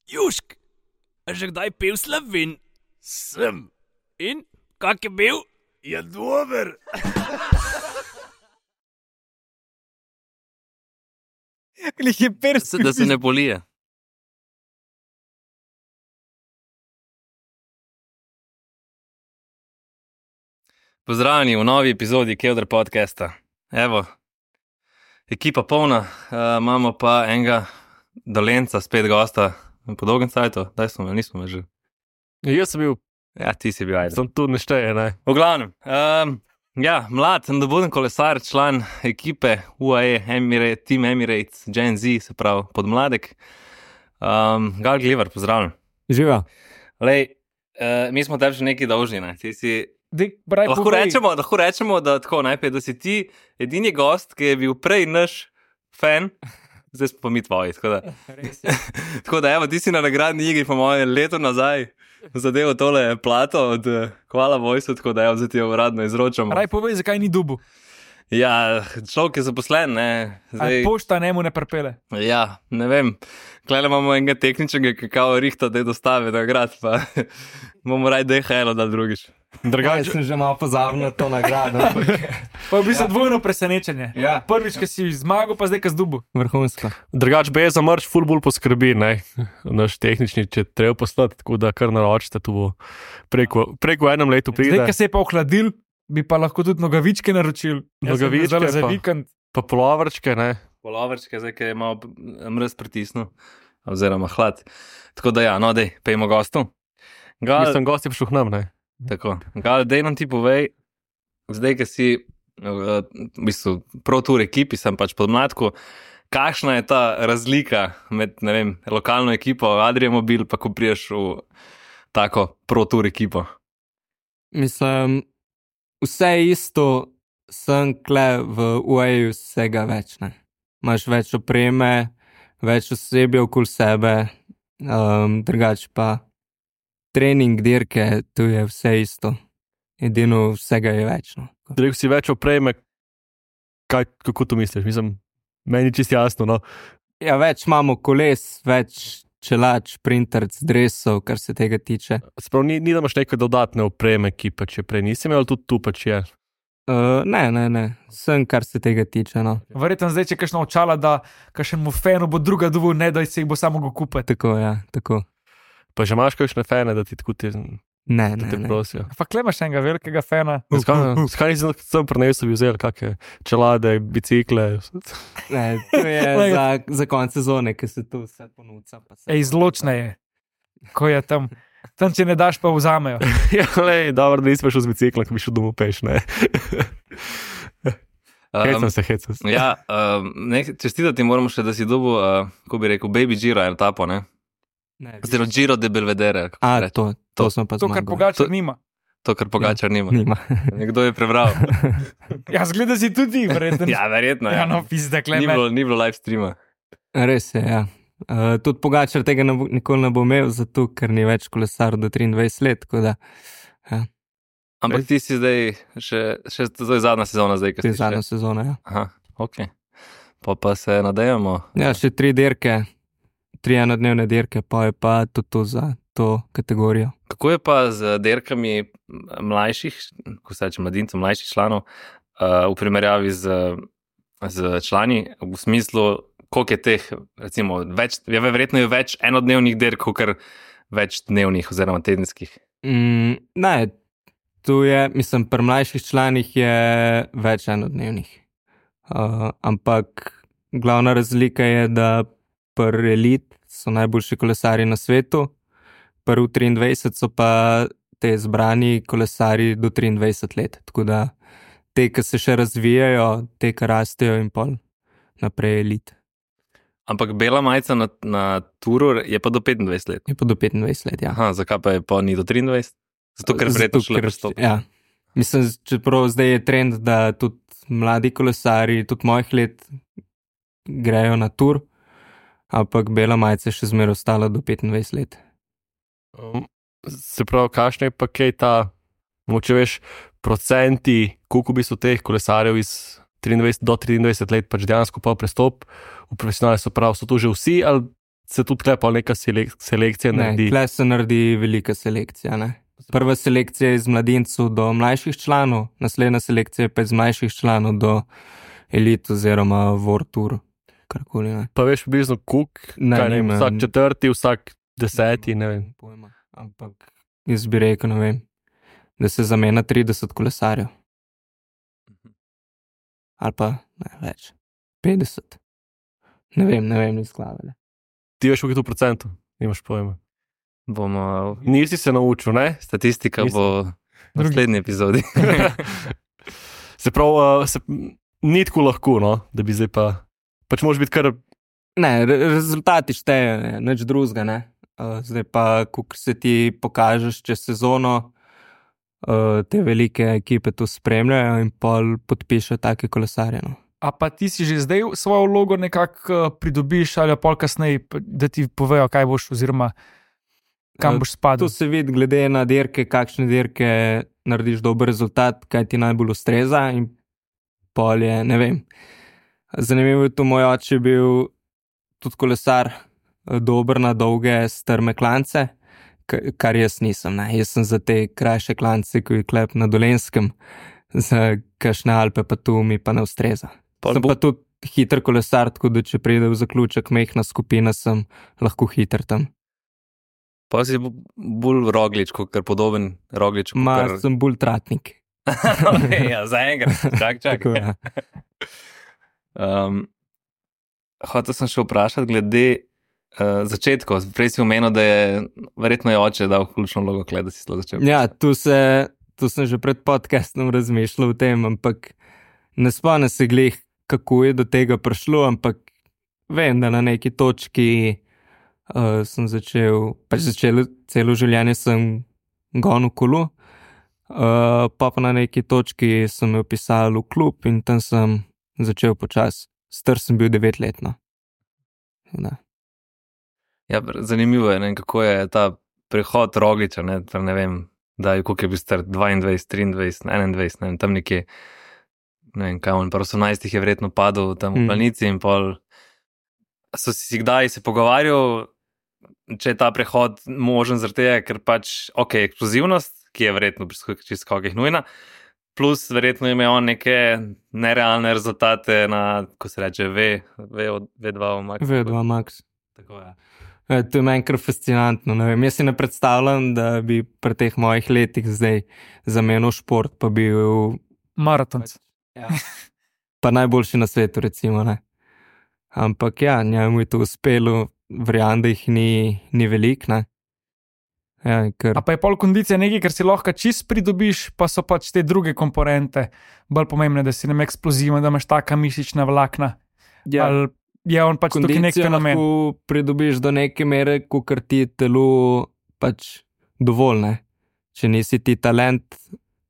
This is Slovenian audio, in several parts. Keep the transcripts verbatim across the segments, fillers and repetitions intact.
Južk, a že kdaj pil Slovin? Sem. In, kak je bil? Je dober. Glih je perst. Da se ne bolije. Pozdravljeni v novi epizodi Kevdr podcasta. Evo, ekipa polna, uh, imamo pa enega Dolenca, spet gosta po dolgem cajtu. Daj smo, nismo me že. Jaz sem bil, Ja, ti si bil, ajde. sem tu nešteje, ne. V glavnem, um, ja, mlad, nadobuden kolesar, član ekipe U A E, Emirates, Team Emirates, Gen Z, se pravi podmladek. Um, Gal Glivar, pozdravljen. Živa. Lej, uh, mi smo tebi že nekaj dolžni, ne? Ti si... Dej, braj, Lahko rečemo, lahko rečemo, da tako najprej, da si ti edini gost, ki je bil prej naš fan, zdaj smo pa mi tvoji, tako da. Tako da, evo, ti si na nagradni igri, po mojem, leto nazaj zadevo tole plato od uh, Hvala Vojsu, tako da, evo, zdaj ti jo uradno izročamo. Raj povej, zakaj ni dubu. Ja, človek je zaposlen, ne. Zdaj... Pošta njemu ne prpele. Ja, ne vem. Klele imamo enega tehničnega, ki kao rihta, da je dostave nagrad, pa bomo raj D H L da drugič. Drugače sem že malo pozabil na to nagrado. Pa je v bistvu dvojno presenečenje. Ja. Prvič, ki si zmagal, pa zdaj, ki si dubu. Vrhunsko. Drugač B za mrč ful bolj poskrbi, ne, naš tehnični, če treba poslati, tako da kar naročite, tu bo preko, preko enem letu pride. Zdaj, ki se je pa ohladil, bi pa lahko tudi nogavičke naročil. Nogavičke Jaz sem za pa- vikend. Pa polovrčke, ne. Polovrčke, zdaj, ki je malo mrz pritisnil, oziroma hlad. Tako da ja, no dej, pejmo gostu. Gal, Mislim, gost je prišel k nam, ne. tako, Gal, dej nam ti povej, zdaj, ki si uh, v bistvu pro tour ekipi, sem pač podmladku, kakšna je ta razlika med, ne vem, lokalno ekipo, Adria Mobil, pa ko priješ v tako pro tour ekipo? Mislim, vse isto, sem kle v U A E vsega več, ne. Imaš več opreme, več osebja okoli sebe, um, drugače pa trening, dirke, tu je vse isto. Edino vsega je več, no. Rekel si več opreme, kaj, kako to misliš? Mislim, meni čist jasno, no. Ja, več imamo koles, več čelač, printerc, dresov, kar se tega tiče. Sprav, ni, ni da imaš neke dodatne opreme, ki pa če prej nisi imel, tudi tu pač je. Uh, ne, ne, ne, sem kar se tega tiče, no. Verjetno zdaj, če kakšno očala, da kakšnemu fanu bo druga dubu, ne da se jih bo samo go kupiti. Tako, ja, tako. Pa že imaš kakšne fene, da ti tako ti, Ne, da ne, te ne. prosijo. Pa kle imaš enega velikega fana. Zakaj zakaj nisi sem prinesel, bi vzel kakšne čelade, bicikle? Ne, to je za, za konc sezone, ki se tu vse ponuca. Pa se... Ej, zločna je, ko je tam. Tam, če ne daš, pa vzamejo. Ja, lej, dobro, da nisi šel z biciklom, ko bi šel domov peš, ne. Hecam se, hecam se. Ja, um, ne, čestitati moramo še, da si dobil, uh, ko bi rekel, Baby Giro etapo, ne? Ne, Oziroma Giro de Belvedere. kako A, se reče. to, to, to smo pa To, kar zmagali. Pogačar To- nima. To, kar Pogačar nima. Nima. Nekdo je prebral. Ja, zgleda si tudi, verjetno. Ja, verjetno. Ja, Ja. no, pizda, kle Ni me. bilo, ni bilo live streama. Res je, ja. Uh, tudi Pogačar tega ne bo, nikoli ne bo imel, zato ker ni več kolesar do triindvajset let, tako da Ampak ti si zdaj, še, še to je zadnja sezona zdaj, to ki je si zadnja še. sezona, ja. Aha, ok. Pa pa se nadejamo. Ja, še tri dirke, tri enodnevne dirke, pa je pa tudi to za to kategorijo. Kako je pa z derkami mlajših, ko se reče mladincev, mlajših članov, uh, v primerjavi z, z člani, v smislu, koliko je teh, recimo, več, je verjetno je več enodnevnih derk, kot več dnevnih oziroma tedenskih. Mm, ne, tu je, mislim, pri mlajših članih je več enodnevnih. Uh, ampak glavna razlika je, da pri elit so najboljši kolesari na svetu, pri U triindvajset so pa te zbrani kolesari do triindvajset let. Tako da te, ki se še razvijajo, te, ki rastejo in pol naprej elit. Ampak bela majica na, na turu je pa do petindvajset let. Je pa do petindvajset let, ja. Aha, zakaj pa je pa ni do triindvajset? Zato, ker verjetno šele ker- prestop. Ja. Mislim, čeprav zdaj je trend, da tudi mladi kolesari, tudi mojih let, grejo na tur, ampak bela majica je še zmeraj ostala do petindvajset let. Um, se pravi, kakšne je pa kaj ta, moče veš, procenti, koliko v bistvu teh kolesarjev iz triindvajset do triindvajset let pač dejansko pa prestop v profesionalne, so prav, so to že vsi ali se tudi klepa neka selek, selekcija Ne, naredi. tle se naredi velika selekcija. Ne? Prva selekcija je iz mladincev do mlajših članov, naslednja selekcija pa je iz mlajših članov do elit oziroma World Tour. Karkoli, ne. Pa veš, približno kuk, Ne, kaj ne vem, nimam. vsak četrti, vsak deseti, ne vem. Pojma. Ampak jaz bi rekel, ne vem, da se zamenja trideset kolesarjev. Ali pa ne več, petdeset. Ne vem, ne vem, ni skladale. Ti veš, koliko je to procentov, nimaš pojma. Bomo, Nisi se naučil, ne? statistika Nisem. bo v naslednji epizodi. Se pravi, uh, se, ni tako lahko, no, da bi zdaj pa, pač moraš biti kar, Ne, re rezultati štejejo, ne, nič drugega, ne. Uh, zdaj pa, ko se ti pokažeš čez sezono, uh, te velike ekipe to spremljajo in pol podpišejo take kolesarje, no. A pa ti si že zdaj svojo vlogo nekako uh, pridobiš ali pol kasneje, p- da ti povejo, kaj boš oziroma kam Eh, boš spadal. To se vidi glede na dirke, kakšne dirke narediš dober rezultat, kaj ti najbolj ustreza in pol je, ne vem. Zanimivo je to, moj oče je bil tudi kolesar, eh, dober na dolge strme klance, k- kar jaz nisem. Ne. Jaz sem za te krajše klance, ko je klep na Dolenskem, za kakšne Alpe pa tu mi pa ne ustreza. Pol Sem bo- pa tudi hiter kolesar, tako da če pride v zaključek mehna skupina, sem lahko hiter tam. Pa si bo- bolj roglič, kot kar podoben roglič. Ma, Kar... sem bolj tratnik. okay, ja, za enkrat, čak, čak. Tako, ja. Um, hotel sem še vprašati glede uh, začetkov. Prej si omenil, da je verjetno je oče dal ključno vlogo, kle, da si sploh začel. Ja, tu, se, tu sem že pred podcastom razmišljal o tem, ampak ne spomnim se glih, kako je do tega prišlo, ampak vem, da na neki točki uh, sem začel, pač začel celo življenje sem gonil kolo, uh, pa pa na neki točki sem me vpisal v klub in tam sem začel počasi. Star sem bil devetletno. Da. Ja, br- zanimivo je, ne, kako je ta prehod rogliča, ne, ter ne vem, da je koliko je bil star, dvaindvajset, triindvajset, enaindvajset, ne vem, tam nekje, ne vem, kaj on, pa osemnajstih je verjetno padel tam v Mm. planici in pol. So si kdaj se pogovarjal, če je ta prehod možen zaradi tega, ker pač, ok, eksplozivnost, ki je verjetno pri sk- čez skokih nujna, plus verjetno ima on neke nerealne rezultate na, ko se reče, V, V, V2 v Max. V dva Max. Tako je. E, to je meni kar fascinantno. Ne vem, jaz si ne predstavljam, da bi pri teh mojih letih zdaj zamenil šport, pa bil Maratonc. ja. pa najboljši na svetu, recimo. Ne. Ampak ja, njemu je to uspelo, verjamem, da jih ni, ni veliko. Ne. Ja, ker, A pa je pol kondicija nekaj, kar si lahko čist pridobiš, pa so pač te druge komponente bolj pomembne, da si nem eksploziven, da imaš taka mišična vlakna. ja, Ali je on pač tukaj nek kondicijo fenomen. lahko pridobiš do neke mere, kot ti telo pač dovolj. Ne. Če nisi ti talent,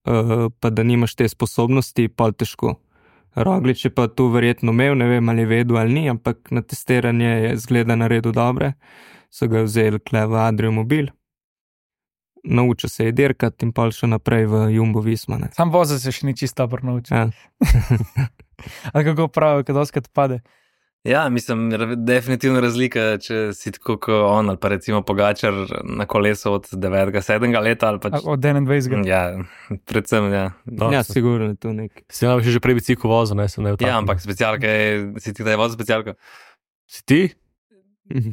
uh, pa da nimaš te sposobnosti, pa težko. Roglič je pa tu verjetno imel, ne vem ali je vedel ali ni, ampak na testiranje je zgleda naredil dobre. So ga vzeli kle v Adrio Mobil, naučil se je dirkati in pa še naprej v Jumbo Visma. Ne. Sam vozil se še ni čisto dobro naučil. Ja. Ali kako pravijo, kad oskrat pade. Ja, mislim, ra- definitivno razlika, če si tako kot on, ali pa recimo Pogačar na kolesu od devetega, sedmega leta, ali pač. Od enaindvajsetega. Ja, predvsem, ja. No, ja, se- sigurno je to nek. Si nam že prej bicikl vozil, ne, sem ne v Ja, ampak specialka je, si ti kdaj vozil specialko? Si ti?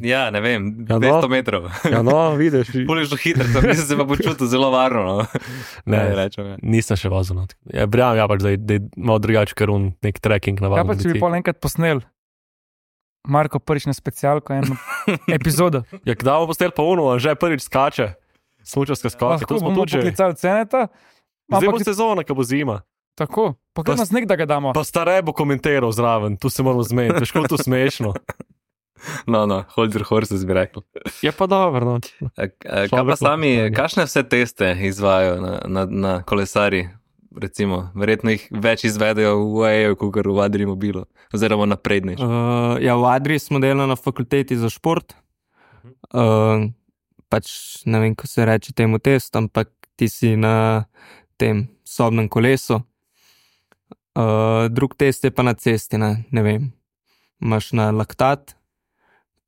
Ja, ne vem, Ja, no. dvesto metrov. Ja, no, vidiš. Puliš do hitro, tam nisem se pa počutil zelo varno, no. Ne, Kaj rečem, ja. nisem še vozil. No. Ja, brjam, ja, pač, da je, da je malo drugače, ker on nek trekking Kaj navaden. pa če bi pol enkrat posnel Marko prvič na specialko eno epizodo. Ja, kdaj bomo postel pa uno, že prvič skače. Smučarska skočka, Lahko to smo bomo tudi že. poklicali ceneta. Zdaj bo Ampak sezona, ko bo zima. tako, pa Pa kaj nas nek, da ga damo. Pa stare bo komentiral zraven, tu se moramo zmeniti, veš, kako to smešno. No, no, hold your horses, bi rekel. Je pa dobro, no. A- a- Kaj pa Človek sami, lahko stane. kakšne vse teste izvajajo na, na, na kolesari? Recimo, verjetno jih več izvedejo v U A E-ju, kot v Adrii Mobilu, oziroma naprednejši. Uh, ja, v Adrii smo delali na fakulteti za šport. Uh, pač ne vem, ko se reče temu test, ampak ti si na tem sobnem kolesu. Uh, drug test je pa na cesti, ne, ne vem. Imaš na laktat,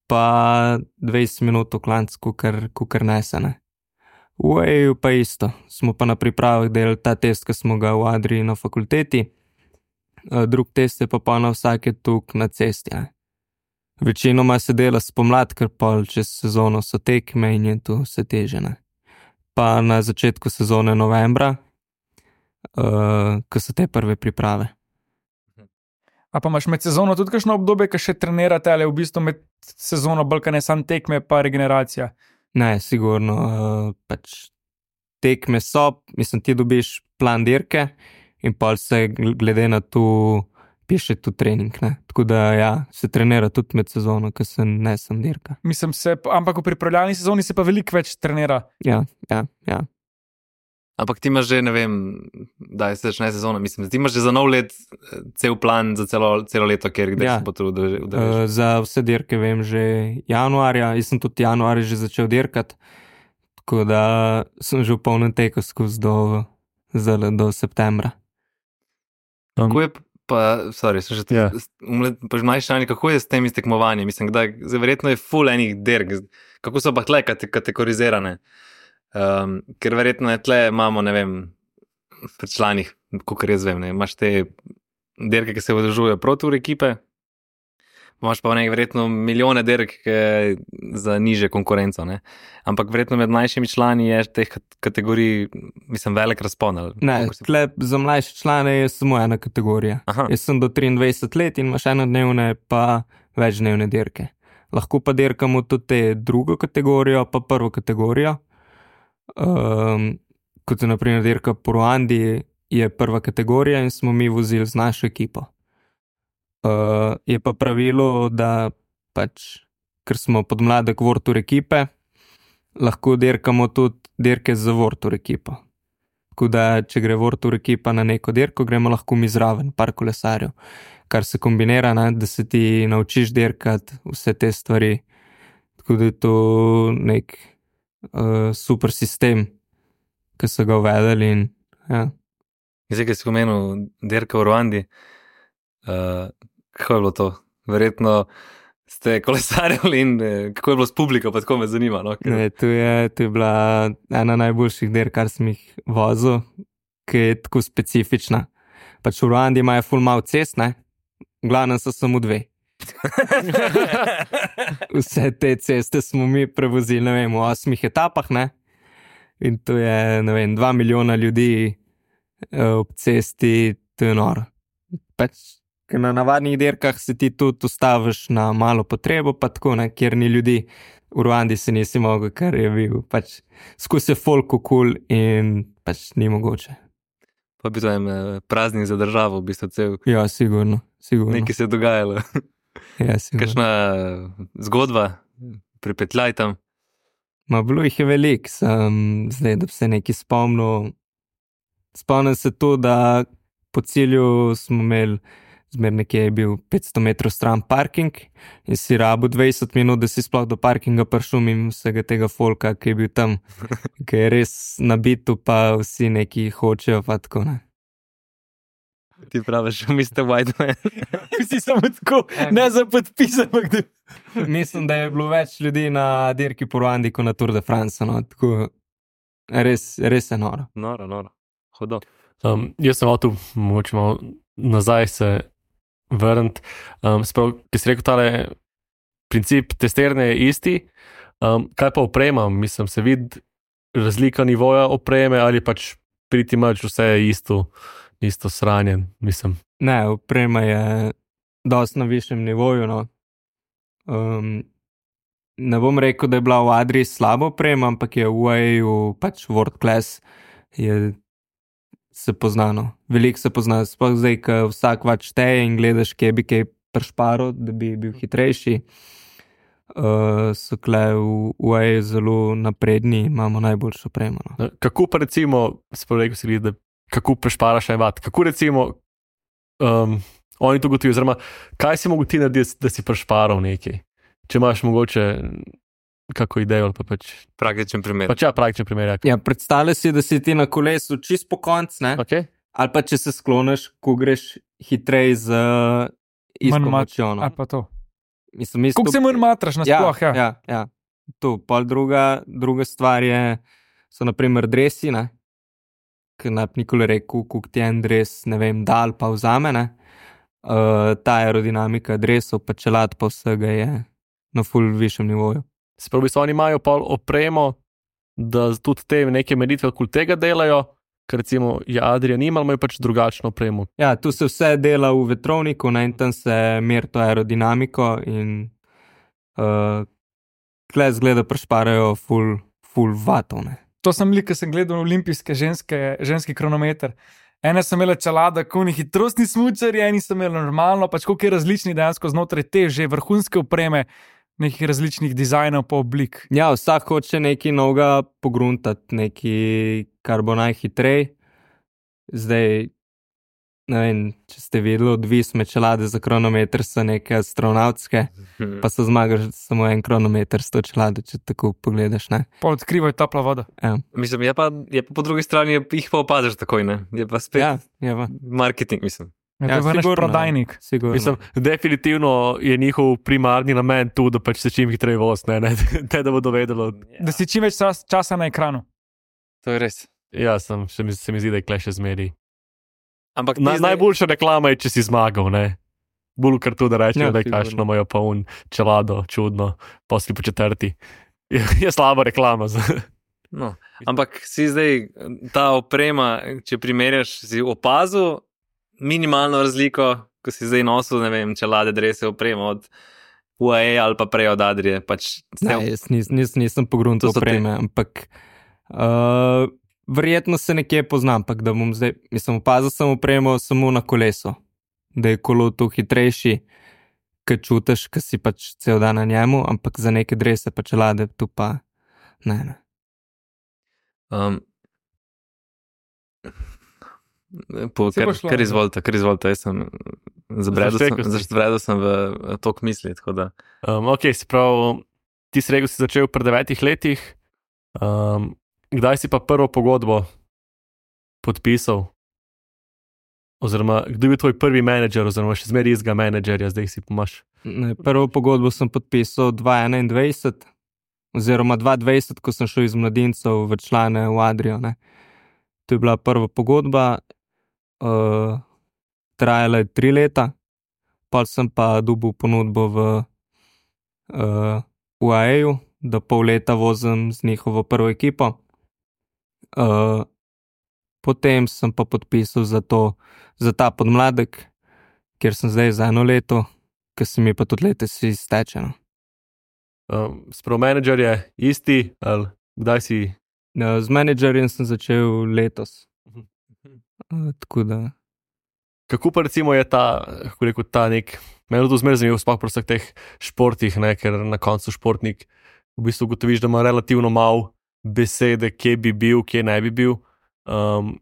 pa dvajset minut v klancu, kukar, kukar nesene. V U A E pa isto, smo pa na pripravah delali ta test, ki smo ga v Adriji na fakulteti, drug test je pa pa na vsake tuk na cesti. Ne. Večinoma se dela spomlad, ker pol čez sezono so tekme in je tu vse teže. Ne. Pa na začetku sezone novembra, uh, ko so te prve priprave. A pa imaš med sezono tudi kakšno obdobje, ki še trenirate, ali v bistvu med sezono bolj, kaj ne sam tekme, pa regeneracija? Ne, sigurno, uh, pač tekme so, mislim, ti dobiš plan dirke in pol se glede na to piše tu trening, ne. Tako da ja, se trenira tudi med sezono, ko se ne sam dirka. Mislim se, ampak v pripravljalni sezoni se pa veliko več trenira. Ja, ja, ja. Ampak ti imaš že, ne vem, da se začne sezona, mislim, ti imaš že za nov let cel plan za celo, celo leto, ker kdaj Ja. se bo to udeležiš. Uh, za vse dirke vem že januarja, jaz sem tudi januarja že začel dirkati, tako da sem že v polnem teku skozi do, zdaj, do septembra. Kako je pa, sorry, sem že Ja. pa mlajši člani, kako je s temi tekmovanji? Mislim, da zdaj verjetno je full enih dirk, kako so pa tle kate- kategorizirane? Um, ker verjetno je tle, imamo, ne vem, pri članih, kakor jaz vem, ne, imaš te dirke, ki se udeležujejo proti ekipe, imaš pa nekaj verjetno milijone dirk ke, za niže konkurenco, ne. Ampak verjetno med mlajšimi člani je teh kat- kategorij, mislim, velik razpon. ali Ne, kakor se- tle za mlajše člane je samo ena kategorija. Aha. Jaz sem do triindvajset let in imaš enodnevne pa večdnevne dirke. Lahko pa dirkamo tudi te drugo kategorijo, pa prvo kategorijo. Um, kot je naprimer dirka po Ruandi, je prva kategorija in smo mi vozili z našo ekipo. Uh, je pa pravilo, da pač, ker smo podmladek World Tour ekipe, lahko dirkamo tudi dirke za World Tour ekipo. Tako da, če gre World Tour ekipa na neko dirko, gremo lahko mi zraven, par kolesarjev. Kar se kombinira, ne, da se ti naučiš dirkati vse te stvari. Tako da je to nek uh, super sistem, ki so ga uvedeli in ja. Zdaj, ki si omenil dirka v Ruandi, uh, kako je bilo to? Verjetno ste kolesarjali in eh, kako je bilo s publiko, pa tako me zanima. No? Ker... Ne, to, je, to je bila ena najboljših dirk, kar sem jih vozil, ki je tako specifična. Pač v Ruandi imajo ful malo cest, ne? V glavnem so samo dve. Vse te ceste smo mi prevozili, ne vem, v osmih etapah, ne? In to je, ne vem, dva milijona ljudi eh, ob cesti, to je noro. Pač, ker na navadnih dirkah se ti tudi ustaviš na malo potrebo, pa tako, ne, kjer ni ljudi. V Ruandi se nisi mogel, ker je bil pač skozi je folko kul in pač ni mogoče. Pa bi to en eh, praznik za državo, v bistvu cel. Ja, sigurno, sigurno. Nekaj se je dogajalo. Ja, sigurno. Kakšna eh, zgodba, pripetljaj tam. Ma bilo jih je veliko, sem zdaj, da bi se nekaj spomnil. Spomnim se to, da po cilju smo imeli, zmer nekje je bil petsto metrov stran parking in si rabu dvajset minut, da si sploh do parkinga prišel in vsega tega folka, ki je bil tam, ki je res nabitu, pa vsi neki hočejo, pa tako ne. Ti praviš, mister Whiteman. Vsi samo tako, ne za podpis, ampak da... Mislim, da je bilo več ljudi na dirki po Ruandi kot na Tour de France, no, tako res, res je noro. Noro, noro. Hodo. Um, jaz sem avto, mogoče malo nazaj se vrniti. Um, sprav, ki si rekel, tale princip testiranja je isti. Um, kaj pa oprema? Mislim, se vidi razlika nivoja opreme ali pač priti mač vse je isto, isto sranjen, mislim. Ne, oprema je dosti na višjem nivoju, no. Um, ne bom rekel, da je bila v Adriji slaba oprema, ampak je v U A E-ju pač world class, je se poznano. Veliko se pozna, sploh zdaj, ko vsak pač šteje in gledaš, kje bi kaj prešparil, da bi bil hitrejši. Uh, so kle v U A E zelo napredni, imamo najboljšo opremo. No. Kako pa recimo, sprav rekel si, da kako prešparaš en vat, kako recimo um, oni to gotovijo, oziroma kaj si mogo ti narediti, da si prešparal nekaj? Če imaš mogoče kako idejo ali pa pač... Praktičen primer. Pač ja, praktičen primer. Ja. Ja, predstavljaj si, da si ti na kolesu čist po konc, ne? Okay. Ali pa če se skloniš, ko greš hitrej z Manj isto mat- močjo. No. Ali pa to. mislim, Kako se manj matraš nasploh, ja. Ja, ja, ja. To, pol druga, druga stvar je, so naprimer dresi, ne? Ker ne bi nikoli rekel, koliko ti en dres, ne vem, dal pa vzame, ne? Uh, ta aerodinamika dresov, pa čelad pa vsega je na ful višjem nivoju. Spravi so oni imajo pol opremo, da tudi te neke meritve okoli tega delajo, ker recimo je Adrian imal, imajo pač drugačno opremo. Ja, tu se vse dela v vetrovniku, ne, in tam se meri to aerodinamiko in uh, tle zgleda prešparajo ful, ful vatov, ne. To sem lik, ko sem gledal olimpijske ženske, ženski kronometer. Ene so imele čelada, koni hitrostni smučarji, eni so imeli normalno, pač koliko je različni dejansko znotraj te že vrhunske opreme, nekih različnih dizajnov pa oblik. Ja, vsak hoče nekaj novega pogruntati, nekaj, kar bo najhitrej. Zdaj, ne vem, če ste videli, odvisne čelade za kronometer so neke astronautske, pa so zmagaš samo en kronometer s to čelado, če tako pogledaš, ne. Pa odkrivajo topla voda. Ja, Mislim, je pa, je pa po drugi strani, jih pa opaziš takoj, ne? Je pa spet ja, je pa. marketing, mislim. Ja, Ja, to je naš sigurno, prodajnik. Sigurno. Mislim, definitivno je njihov primarni namen tu, da pač se čim hitreje voz, ne, ne, ne da bo dovedelo. Da si čim več čas, časa na ekranu. To je res. Ja, sem, še mi, se mi zdi, da je kle še zmeri. Ampak Na, ti zdaj- najboljša reklama je, če si zmagal, ne. Bolj kar tu, da rečejo, Ja, da je sigurno. kakšno imajo pa un čelado, čudno, posli po četrti. Je, je slaba reklama. Za... No, ampak si zdaj ta oprema, če primerjaš, si opazil minimalno razliko, ko si zdaj nosil, ne vem, čelade, drese, opremo od U A E ali pa prej od Adrije. Pač Ne, jaz nis, nis, nisem pogruntal To so te- opreme, ampak uh, verjetno se nekje poznam, ampak da bom zdaj, mislim, opazil sem opremo samo na kolesu, da je kolo tu hitrejši, ker čutiš, ker si pač cel dan na njemu, ampak za neke drese pa čelade tu pa ne, ne. Um, po, Se kar, bo šlo, kar ne? izvolite, kar izvolite, jaz sem zabredel sem, Zaštekal si. zabredel sem v eh, tok misli, tako da. Um, ok, se pravi, ti si rekel, si začel pri devetih letih. Um, kdaj si pa prvo pogodbo podpisal? Oziroma, kdo je bil tvoj prvi menedžer, oziroma še zmeraj izga menedžerja, zdaj si pomaš. Ne, prvo pogodbo sem podpisal dva tisoč enaindvajset, oziroma dva tisoč dvajset, ko sem šel iz mladincev v člane v Adrijo, ne. To je bila prva pogodba, uh, trajala je tri leta, pol sem pa dobil ponudbo v uh, U A E-ju, da pol leta vozim z njihovo prvo ekipo. Uh, potem sem pa podpisal za, to, za ta podmladek, kjer sem zdaj za eno leto, ker se mi pa tudi letos izteče. No. Um, Sprav menedžer je isti, ali kdaj si? Uh, Z menedžerjem sem začel letos. Uh, tako da. Kako pa recimo je ta, kako rekel, ta nek, meni je to zmeraj zanimivo, sploh pri vseh teh športih, ne, ker na koncu športnik v bistvu ugotoviš, da ima relativno malo besede, kje bi bil, kje ne bi bil. Um,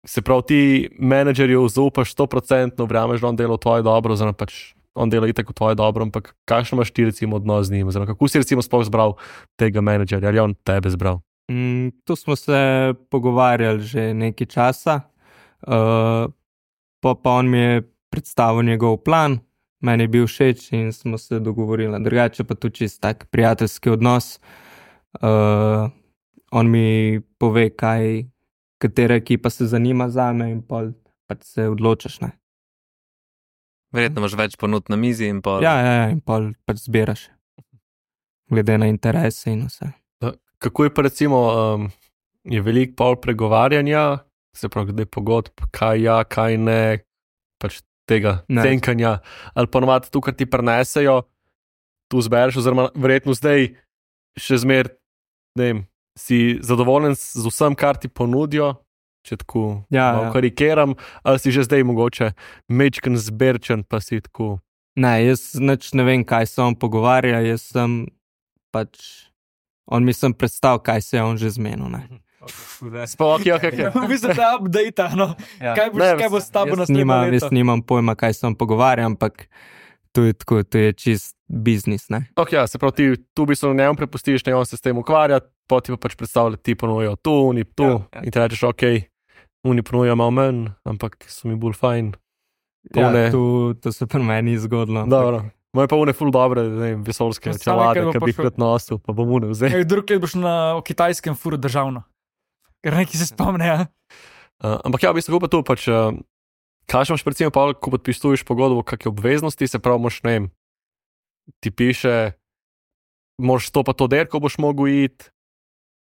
se pravi, ti menedžerju zaupaš sto procentno, verjameš, da on dela v tvoje dobro, oziroma pač on dela itak v tvoje dobro, ampak kakšno imaš ti recimo odnos z njim, oziroma kako si recimo sploh zbral tega menedžerja, ali je on tebe zbral? Mm, tu smo se pogovarjali že nekaj časa, uh, pa, pa on mi je predstavil njegov plan, meni je bil všeč in smo se dogovorili. Drugače pa tu čist tak prijateljski odnos. Uh, on mi pove, kaj, katera ekipa se zanima zame in pol pač se odločaš, ne. Verjetno imaš več ponudb na mizi in pa. Ja, ja, ja, in pol pač zbiraš. Glede na interese in vse. Kako je pa recimo, um, je veliko pol pregovarjanja, se pravi, glede pogodb, kaj ja, kaj ne, pač tega Ne. tenkanja, ali ponovadi tu, kar ti prenesejo, tu zbereš, oziroma verjetno zdaj še zmer, ne vem, si zadovoljen z vsem, kar ti ponudijo, če tako Ja, malo ja. karikiram, ali si že zdaj mogoče mečken zberčen, pa si tako. Ne, jaz nič ne vem, kaj se on pogovarja, jaz sem pač, on mi sem predstavil, kaj se je on že zmenil, ne. Sploh, ok, ok, ok. V bistvu ta update, no. Ja. Kaj boš, Ne, kaj bo s tabo Jaz naslednje nimam, leto? jaz nimam pojma, kaj se on pogovarja, ampak to je tako, to je čist biznis, ne. Ok, ja, se pravi, ti tu bi se na njemu prepustiš, ne on se s tem ukvarja, pa ti pa pač predstavlja, ti ponujajo tu, oni tu, Ja, ja. in ti rečeš, ok, oni ponujajo malo manj, ampak so mi bolj fajn. To Ja, ne. to, to se pri meni ni zgodilo. ampak Dobro. Moje pa une ful dobre, ne vem, vesoljske Samo čelade, enkrat bo ki bi jih prišel. rad nosil, pa bom une vzel. Ej, drug let boš na v kitajskem furu državno. Ker neki se spomne, ja. Uh, ampak ja, v bistvu pa tu pač, uh, kaj imaš recimo pa, ko podpisuješ pogodbo, kakšne obveznosti, se pravi, moš, ne vem, ti piše, moš to pa to derko boš mogel iti,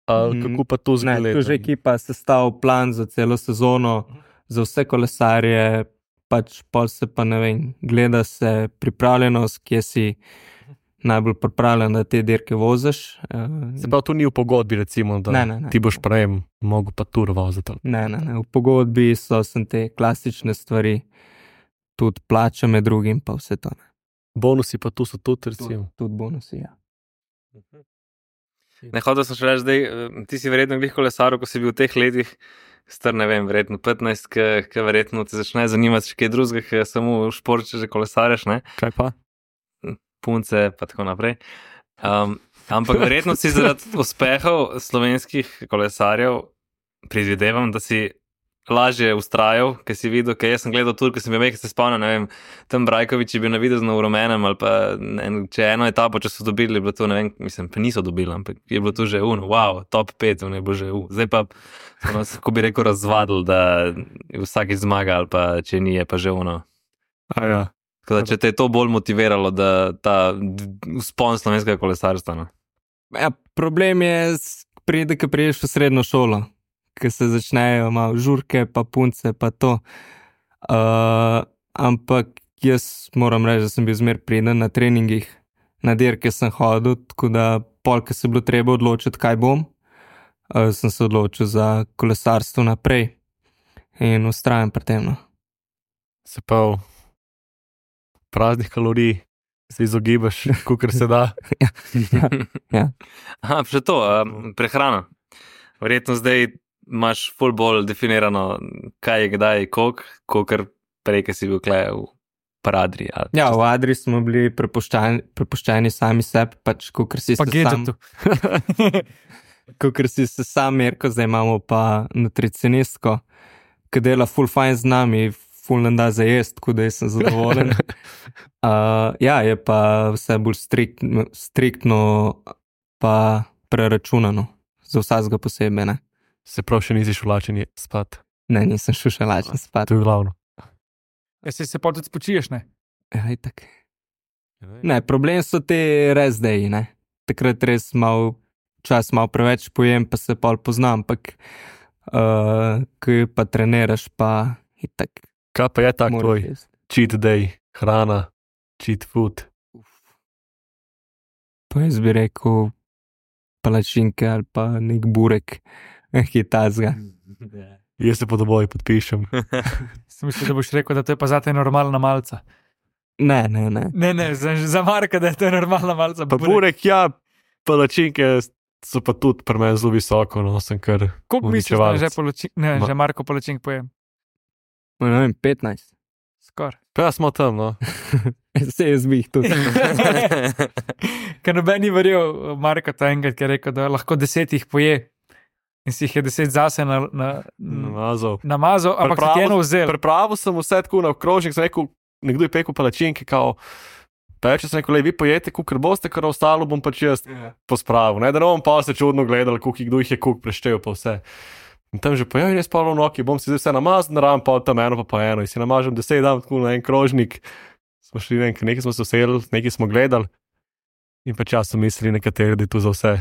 uh, Mhm. kako pa to Ne, zgleda. tu že ekipa sestavlja plan za celo sezono, za vse kolesarje, pač pol se pa ne vem, gleda se pripravljenost, kje si najbolj pripravljen, da te dirke voziš. Uh, Se pravi, tu ni v pogodbi, recimo, da Ne, ne, ne. ti boš prajem mogel pa tur voziti. Ne, ne, ne. V pogodbi so sem te klasične stvari, tudi plača med drugim, pa vse to. Ne. Bonusi pa tu so tudi, Tudi, recimo. tudi bonusi, ja. Ne, hotel sem še reči, zdaj, eh, ti si verjetno glih kolesaril, ko si bil v teh letih, star ne vem, verjetno petnajst, ki verjetno te začne zanimati še kaj drugega, ki samo v športu že kolesareš, ne, Kaj pa? punce pa tako naprej. Um, ampak verjetno si zaradi uspehov slovenskih kolesarjev predvidevam, da si lažje ustrajal, ker si videl, ker jaz sem gledal tur, ker sem bil, ker se spomnim, ne vem, tam Brajkovič je bil navidezno v rumenem, ali pa ne, če eno etapo, če so dobili, je bilo to, ne vem, mislim, pa niso dobili, ampak je bilo to že uno, wow, top pet, ne bo že u. Zdaj pa, ono, ko bi rekel, razvadil, da vsaki zmaga, ali pa če ni, je pa že uno. A ja. Tako da, če te je to bolj motiviralo, da ta vzpon slovenskega kolesarstva, no. Ja, problem je, s- pride, ko priješ v srednjo šolo, ko se začnejo malo žurke, pa punce, pa to. Uh, ampak jaz moram reči, da sem bil zmer priden na treningih, na dirke sem hodil, tako da pol, ko se je bilo treba odločiti, kaj bom, uh, sem se odločil za kolesarstvo naprej in ustrajam pri tem. No. Se pravi, praznih kalorij se izogibaš, kolikor se da. Aha, še to, um, prehrana. Verjetno zdaj imaš ful bolj definirano, kaj je kdaj, koliko, kakor prej, ki si bil kle v paradri. Ali, Ja, v Adri smo bili prepuščeni, prepuščeni sami sebi, pač kakor si Pa se sam, gadgetu. kakor si se sam merko, zdaj imamo pa nutricionistko, ki dela full fajn z nami, full nam da za jest, tako da jaz sem zadovoljen. uh, ja, je pa vse bolj striktno, striktno pa preračunano, za vsakega posebej, ne. Se pravi, še nisi šel lačen spat. Ne, nisem šel še lačen spat. To je glavno. Ja, se, se pa tudi spočiješ, ne? Ja, itak. Ne, problem so te res deji, ne. Takrat res mal čas malo preveč pojem, pa se pol poznam, ampak uh, ko pa treniraš, pa itak. Kaj pa je tak moraš tvoj jesti. cheat day, hrana, cheat food? Pa jaz bi rekel palačinke ali pa nek burek, nekaj tazga. Jaz se po doboji podpišem. Sem mislil, da boš rekel, da to je pa zate normalna malca. Ne, ne, ne. Ne, ne, za, za Marka, da je to normalna malca. Pa burek, ja, palačinke so pa tudi pri meni zelo visoko, no, sem kar Koliko misliš, da uničevalec. že, poločink, ne, Ma- že Marko palačink pojem? Ne vem, petnajst. Skoraj. Pa ja, smo tam, no. Se jaz bi jih tudi. Ker noben ni verjel Marko ta enkrat, ki je rekel, da lahko deset jih poje in si jih je deset zase na, na, Namazal. namazal, ampak si ti eno vzel. Pripravil sem vse tako na okrožnik, sem rekel, nekdo je pekel palačinke, kao, pa če sem rekel, lej, vi pojete, kukor boste, kar ostalo bom pač jaz pospravil, ne, da ne bom pa se čudno gledal, koliko kdo jih je kuk preštel pa vse. In tam že pojavi res polo noki, bom si zdaj vse namazal, naravim pa tam eno pa pa eno in si namažem deset, dam tako na en krožnik, smo šli, ne, nekaj smo se usedli, nekaj smo gledali in pa čas so mislili nekateri, da je tu za vse.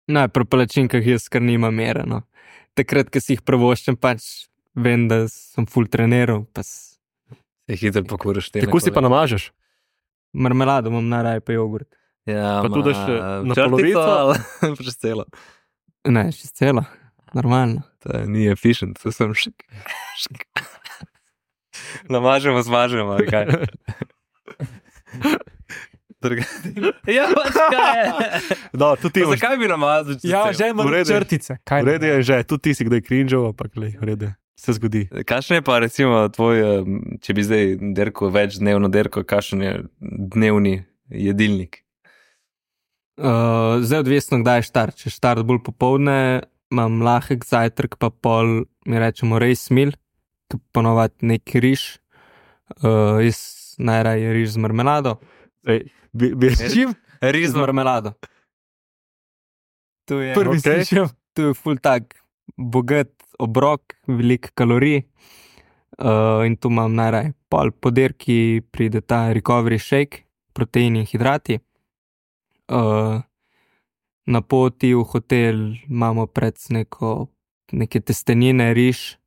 Ne, pri palačinkah jaz kar nima mere, no. Takrat, ko si jih prvoščem, pač vem, da sem full treniral, pa s- Se hitro pokuriš te. Kako si pa namažeš? marmelado imam najraje pa jogurt. Ja, Pa ma, tudi daš, eh, na črtico polovico? ali Čez celo. Ne, še celo, normalno. To ni efficient, to sem šik. šik. Namažemo, zmažemo, ali kaj. Druga- Ja, pač kaj je. Da, tudi ti Pa imaš. Zakaj bi namazal? čez Ja, celo? že ima V redu je. črtice. Kaj V redu je že, tudi ti si kdaj cringeal, ampak lej, v redu je. Se zgodi. Kakšen je pa recimo tvoj, eh, če bi zdaj derko več dnevno derko, kakšen je dnevni jedilnik? Uh, zdaj odvisno, kdaj je štart. Če je štart bolj popovdne, imam lahek zajtrk, pa pol, mi rečemo, race meal, ki ponovadi nek riž. Uh, jaz najraje riž z marmelado, Ej, bi, bi, S čim? Z Rizno. marmelado. To je, Prvi okej. slišim. to je ful tak bogat obrok, veliko kalorij. Uh, in tu imam najraje. Pol po dirki pride ta recovery shake, proteini in hidrati. Uh, na poti v hotel imamo pred neko, neke testenine, riž.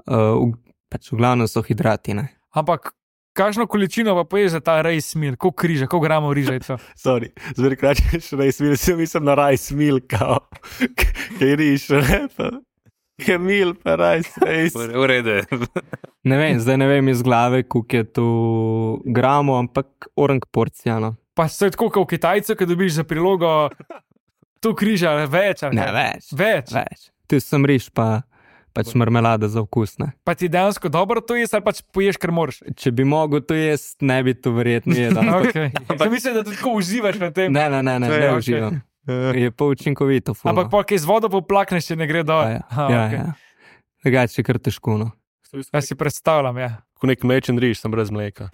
Uh, v, pač v glavnem so hidrati. Ne? Ampak kakšno količino pa poješ za ta rice meal? Koliko križa, koliko gramov riža je to? sorry, zmeraj kračeš rice meal, si mislim na rice meal, kao, kaj riš, ne, pa, kaj meal, pa rice, rice. V redu je. Ne vem, zdaj ne vem iz glave, koliko je to gramo, ampak orang porcija. No. Pa se je tako, kot v Kitajcu, ki dobiš za prilogo tu križa več. ali Ne, kaj? več. Več. Več. Tu sem riž, pa pač marmelada za okus. Ne. Pa ti dejansko dobro to ješ, ali pač poješ, ker moraš. Če bi mogel to jesti, ne bi to verjetno jedel. Okay. Ampak mislim, da tudi tako uživaš na tem. Ne, ne, ne, ne, To je ne okej. uživam. Je pa učinkovito. Ful, Ampak no. pa kaj z vodo poplakneš, če ne gre dol. ja, Aha, ja, okej. ja. Drugače je kar težko. No. Jaz si predstavljam, ja. Ko nek mlečen riž, sem brez mleka.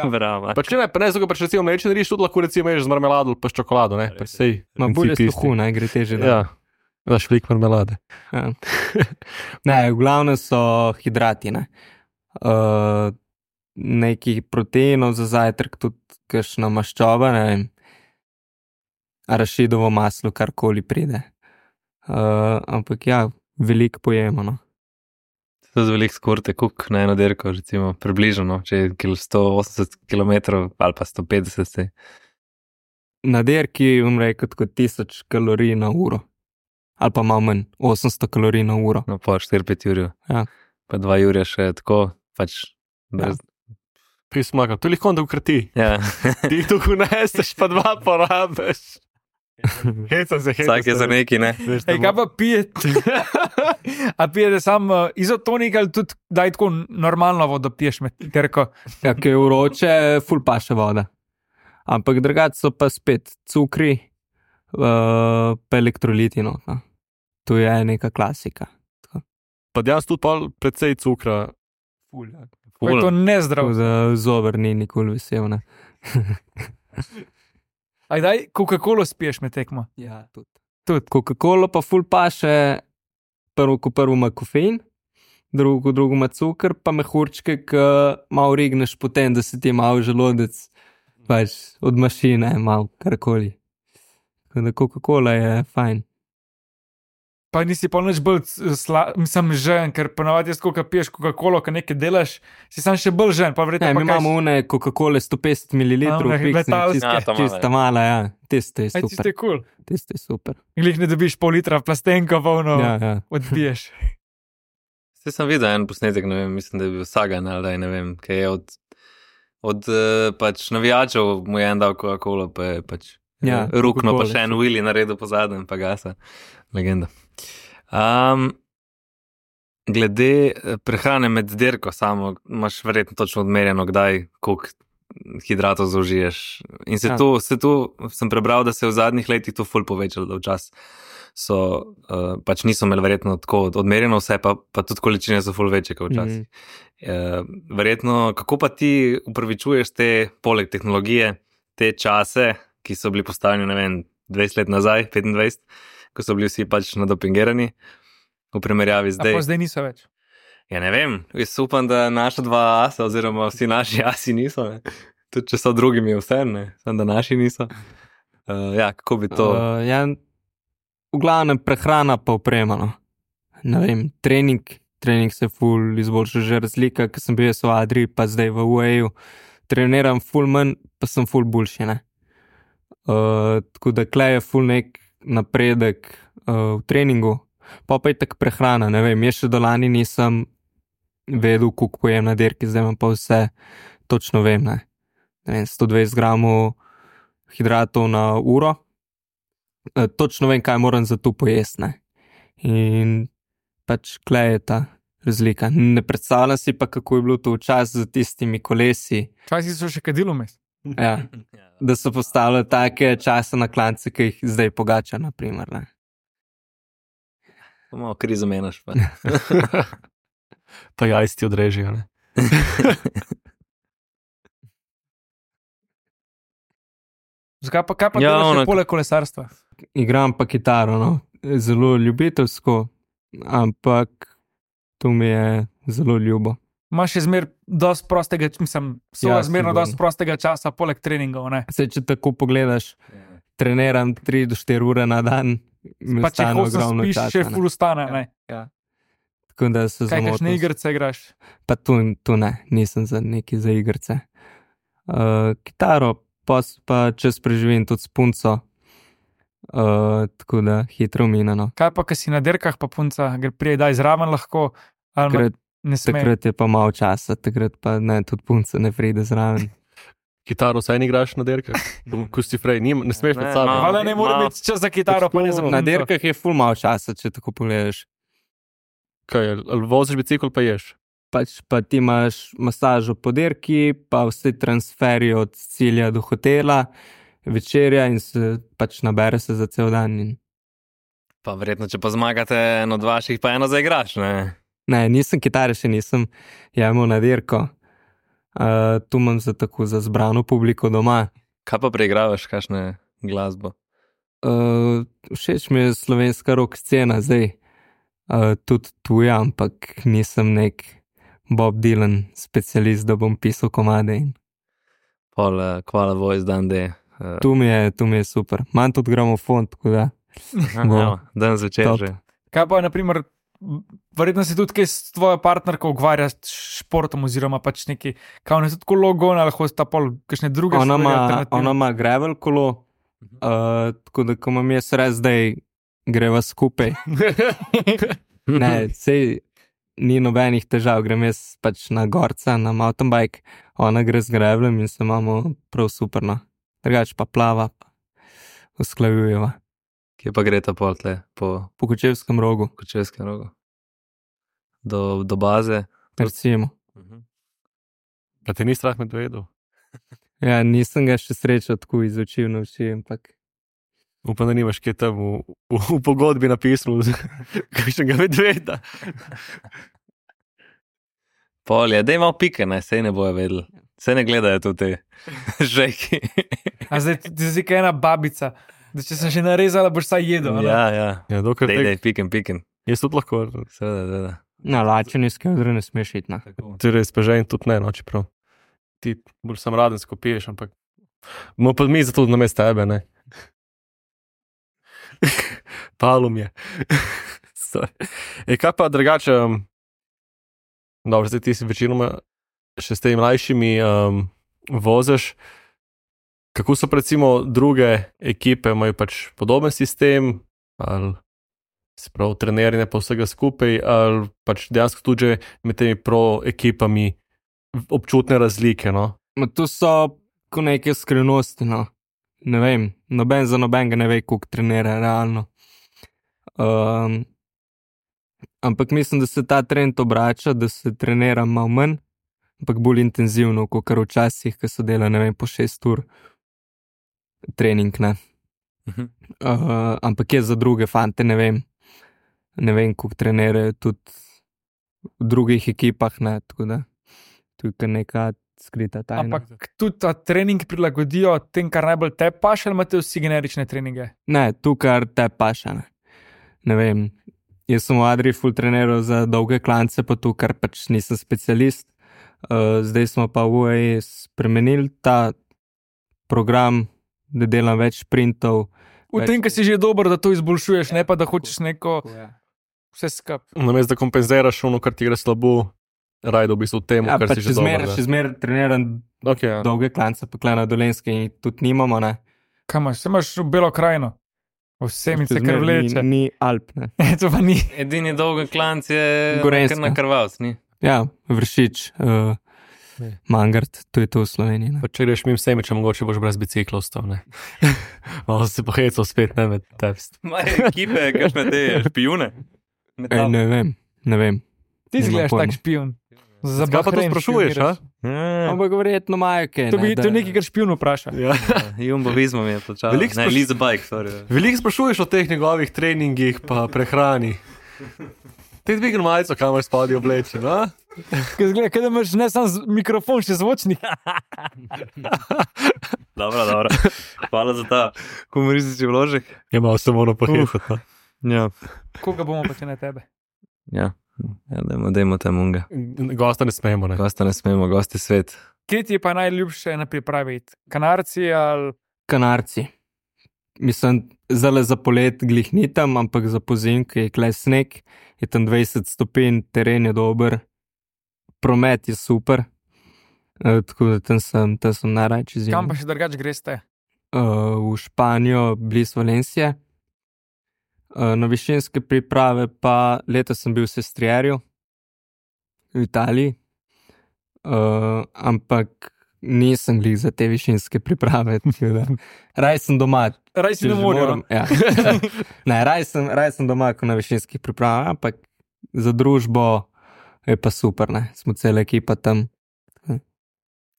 Bravo. Pač ne, pa ne, zato pač recimo mlečen riž tudi lahko recimo ješ z marmelado ali pa s čokolado, ne, pač sej. Ma bolje princip isti. suhu, ne gre teže. Ja, daš veliko marmelade. Ja. Ne, v glavnem so hidrati. Ne. Uh, nekih proteinov za zajtrk, tudi kakšna maščoba, ne vem, arašidovo maslo, karkoli pride. Uh, ampak ja, veliko pojemo. No. To je veliko skorte, kuk na eno dirko, recimo, približno, no, če je kil sto osemdeset kilometrov ali pa sto petdeset. Se. Na dirki bom rekel kot tisoč kalorij na uro. Ali pa malo manj, osemsto kalorij na uro. No, po štiri pet ur. Ja. Pa dva ure še tako, pač brez. Pismaka, to je lahko da ukrati. Ja. Ti jih tukaj neseš, pa dva porabiš. Heca se, heca Vsak je za neki, ne? Ej, kaj pa pijete? A pijete sam uh, izotonik ali tudi daj tako normalno vodo piješ med terko? Ja, ki je vroče, ful paše voda. Ampak drugače so pa spet cukri, uh, pa elektroliti. No, no. To je neka klasika. Pa dejansko tudi pol precej cukra. Ful, ja. Pa je to nezdrav. Tako da zober ni nikoli vesel. Ne? Aj daj, Coca-Colo spiješ med tekmo. Ja, tudi. Tudi. Coca-Cola pa ful paše, prvo ko prvo ima kofein, drugo ko drugo ima cukor, pa mehurčke, ki malo rigneš potem, da se ti malo želodec, pač od mašine, malo karkoli. Tako da Coca-Cola je fajn. Pa nisi pa nič bolj sla, mislim, žen, ker ponavadi jaz, ko piješ Coca-Colo, ko nekaj delaš, si sam še bolj žen. Pa Ne, verjetno mi pa kaj imamo une Coca-Cola sto petdeset mililitrov, A, one letalske. Ja, ta mala, čista mala, ja. Tisto je Aj, tiste super. je kul. Tisto je super. Glih ne dobiš pol litra plastenko, polno Ja, ja. odbiješ. Vse sem videl en posnetek, ne vem, mislim, da je bil Sagan ali daj, ne vem, kaj je od, od uh, pač navijačev mu je en dal Coca-Cola, pa je pač Ja, eh, rukno, pa Coca-Cola, še en Willy naredil po zadnjem, pa gasa. Legenda. Um, glede eh, prehrane med dirko samo, imaš verjetno točno odmerjeno, kdaj, koliko hidratov zaužiješ. In se Ja. tu, se tu sem prebral, da se je v zadnjih letih to ful povečalo, da včasih so, uh, pač niso imeli verjetno tako odmerjeno vse, pa, pa tudi količine so ful večje kot včasih. Mhm. Uh, verjetno, kako pa ti upravičuješ te, poleg tehnologije, te čase, ki so bili postavljeni, ne vem, dvajset let nazaj, petindvajset, ko so bili vsi pač nadopingirani, v primerjavi A zdaj. pa zdaj niso več. Ja, ne vem, jaz upam, da naša dva asa, oziroma vsi naši asi niso, ne. Tudi če so drugimi vse, ne, samo da naši niso. Uh, ja, kako bi to... Uh, ja, v glavnem prehrana pa oprema. No. Ne vem, trening, trening se ful izboljša, že razlika, ker sem bil jaz v Adri, pa zdaj v U A E-ju. Treniram ful manj, pa sem ful boljši, ne. Uh, tako da klej je ful nek napredek uh, v treningu, pa pa je tak prehrana, ne vem, jaz še do lani nisem vedel, koliko pojem na dirki, zdaj imam pa vse točno vem, ne. Ne vem, sto dvajset gramov hidratov na uro, e, točno vem, kaj moram za to pojesti, ne. In pač klej je ta razlika. Ne predstavljam si pa, kako je bilo to včasih z tistimi kolesi, Včasih so še kadilo mes. ja, da so postavljali take čase na klance, ki jih zdaj pogača, na primer, ne. Malo krizo menaš pa. Pa jajsti odrežijo, ne. Zakaj pa, kaj pa Ja, ja, delaš ono- še poleg kolesarstva? Igram pa kitaro, no. Zelo ljubiteljsko, ampak to mi je zelo ljubo. Imaš še zmer dosti prostega, mislim, so Ja, ja, zmerno sigurno. dosti prostega časa poleg treningov, ne? Saj, če tako pogledaš, treniram tri do štiri ure na dan, mi Pa če ostane hočeš ogromno spiš, časa, še ne. ful ustane, ne? Tako da se Kaj, kakšne zamotim. igrice igraš? Pa tu, tu ne, nisem za neki za igrice. Uh, kitaro pa, s- pa čez preživim tudi s punco, uh, tako da hitro minano. Kaj pa, ko si na dirkah, pa punca gre prije, daj zraven lahko, ali ma- Takrat, ne sme. takrat je pa malo časa, takrat pa ne, tudi punca ne pride zraven. Kitaro vsaj ne igraš na derkah, ko si frej, nim, ne smeš Ne, med sabo. malo. Hvala, ne more Malo. imeti čas za kitaro, pa ne za Na punco. dirkah je ful malo časa, če tako pogledaš. Kaj, ali voziš bicikl, pa ješ. Pač pa ti imaš masažo po dirki, pa vse transferje od cilja do hotela, večerja in se pač nabere se za cel dan. In... Pa verjetno, če pa zmagate eno od vaših, pa eno zaigraš, ne? Ne, nisem kitare, še nisem jemal na dirko. Uh, tu imam za tako za zbrano publiko doma. Kaj pa preigravaš, kakšne glasbo? Uh, všeč mi je slovenska rock scena zdaj, uh, tudi tuja, ampak nisem nek Bob Dylan specialist, da bom pisal komade. In... Pol, uh, Kvala Voice dan D. Uh, Tu mi je, tu mi je super. Imam tudi gramofon, tako da. bo. Dan zvečer Top. že. Kaj pa, naprimer, verjetno si tudi kaj s tvojo partnerko ukvarja s športom oziroma pač neki, kao ne tudi kolo gona, lahko sta pol kakšne druge Ona stvari ima, alternativne. ona ima gravel kolo, uh, tako da ko imam jaz res, zdaj greva skupaj. Ne, sej ni nobenih težav, grem jaz pač na gorca, na mountain bike, ona gre z gravelem in se imamo prav superno. Drugač pa plava, pa usklajujeva Kje pa gre ta pol tle, po po Kočevskem rogu, Kočevskem rogu? Do, do baze? recimo. Pa te ni strah medvedov. Ja, nisem ga še srečal tako iz oči v oči, ampak Upam, da nimaš kaj tam v, v, v pogodbi napisal, kakšnega medveda. Pol je, daj malo pike, ne, sej ne bojo vedeli. Sej ne gledajo tu te žejki. A zdaj ti zdi, kaj ena babica, da če sem že narezala, boš saj jedel. a ne? Ja, ja. Ja, dokler Dej, te, dej, pikem, pikem. jaz tudi lahko, Seveda, seveda. na lačeni skedre ne smeš iti. Ne. torej spežen tudi ne, no, čeprav. Ti bolj sam radensko piješ, ampak bomo pa mi zato na mesto tebe, ne. Palum je. Sorry. E, kaj pa drugače, um, dobro, zdaj ti si večinoma še s temi mlajšimi um, voziš. Kako so pa recimo druge ekipe, imajo pač podoben sistem, ali se pravi treniranje pa vsega skupaj, ali pač dejansko tudi že med temi pro ekipami občutne razlike, no? Ma tu so ko neke skrivnosti, no. Ne vem, noben za nobenega ne ve, koliko trenira realno. Um, ampak mislim, da se ta trend obrača, da se trenira malo manj, ampak bolj intenzivno, kot kar včasih, ko so delali, ne vem, po šest ur trening, ne. Mhm. Uh, ampak je za druge fante, ne vem, ne vem, koliko trenirajo tudi v drugih ekipah, ne, tako da tu je kar neka skrita tajna. Ampak tudi ta trening prilagodijo tem, kar najbolj te paše, ali imate vsi generične treninge? Ne, tu kar te paša. Ne. ne vem, jaz sem v Adriji ful treniral za dolge klance, pa tu kar pač nisem specialist. Uh, zdaj smo pa v U A E spremenili ta program, da delam več sprintov. V Več- tem, ki si že dober, da to izboljšuješ, ne pa da hočeš neko vse skup. Namesto da kompenziraš ono, kar ti gre slabo, rajdo v bistvu temu, Ja, kar pa si še že zmer, dober. še zmer treniram Okay, ja. dolge klance, pa klena dolenske in tudi nimamo, ne. Kaj imaš? Se imaš v Belo krajino. Vsem se Še zmer kar vleče. Ni, ni Alp, ne. To pa ni. Edini dolgi klanc je Gorenjska. kar na krvavc, ni? Ja, Vršič, uh, Ne. Mangart, to je to v Sloveniji, ne. Pa če greš mimo Semiča, mogoče boš brez bicikla ostal, ne. Malo se pohecal spet, ne, med tebst. Imajo ekipe, kakšne te špijune. Ej, ne vem, ne vem. Ti Nimam izgledaš pojma. tak špijun. Za Zakaj pa to Bahrein sprašuješ, a? špijuniraš. Ampak verjetno imajo kaj. To, bi, ne, to je nekaj, kar špijun vpraša. Ja. Jumbo Visma mi je plačal. Veliko Ne, spraš- Liza Bike, sorry. Veliko sprašuješ o teh njegovih treningih pa prehrani. Te dvigni majico, kamor spadi oblečen, a? Kaj zgleda, kaj da imaš ne samo z- mikrofon, še zvočnik. Dobro, dobro. Hvala za ta humoristični vložek. Je malo se moramo pohititi. Ja, Koga bomo pa če ne tebe? ja. Ja, dajmo, dajmo tam unga. Gosta ne smemo, ne. Gosta ne smemo, gosti svet. Kje ti je pa najljubše na pripravi? Kanarci ali Kanarci. Mislim, zale za polet glih ni tam, ampak za pozim, ki je kle sneg, je tam dvajset stopinj, teren je dober, promet je super. E, tako da tam sem, tam sem najrajči zim. kam pa še drugače greste? Uh, v Španijo, blizu Valencije. Uh, na višinske priprave pa letos sem bil v Sestrierju v Italiji, uh, ampak nisem glih za te višinske priprave. Raj sem doma. Raj si če na že morju. moram, ja. Ne, raj sem, raj sem doma, ko na višinskih pripravah, ampak za družbo je pa super, ne. Smo cela ekipa tam.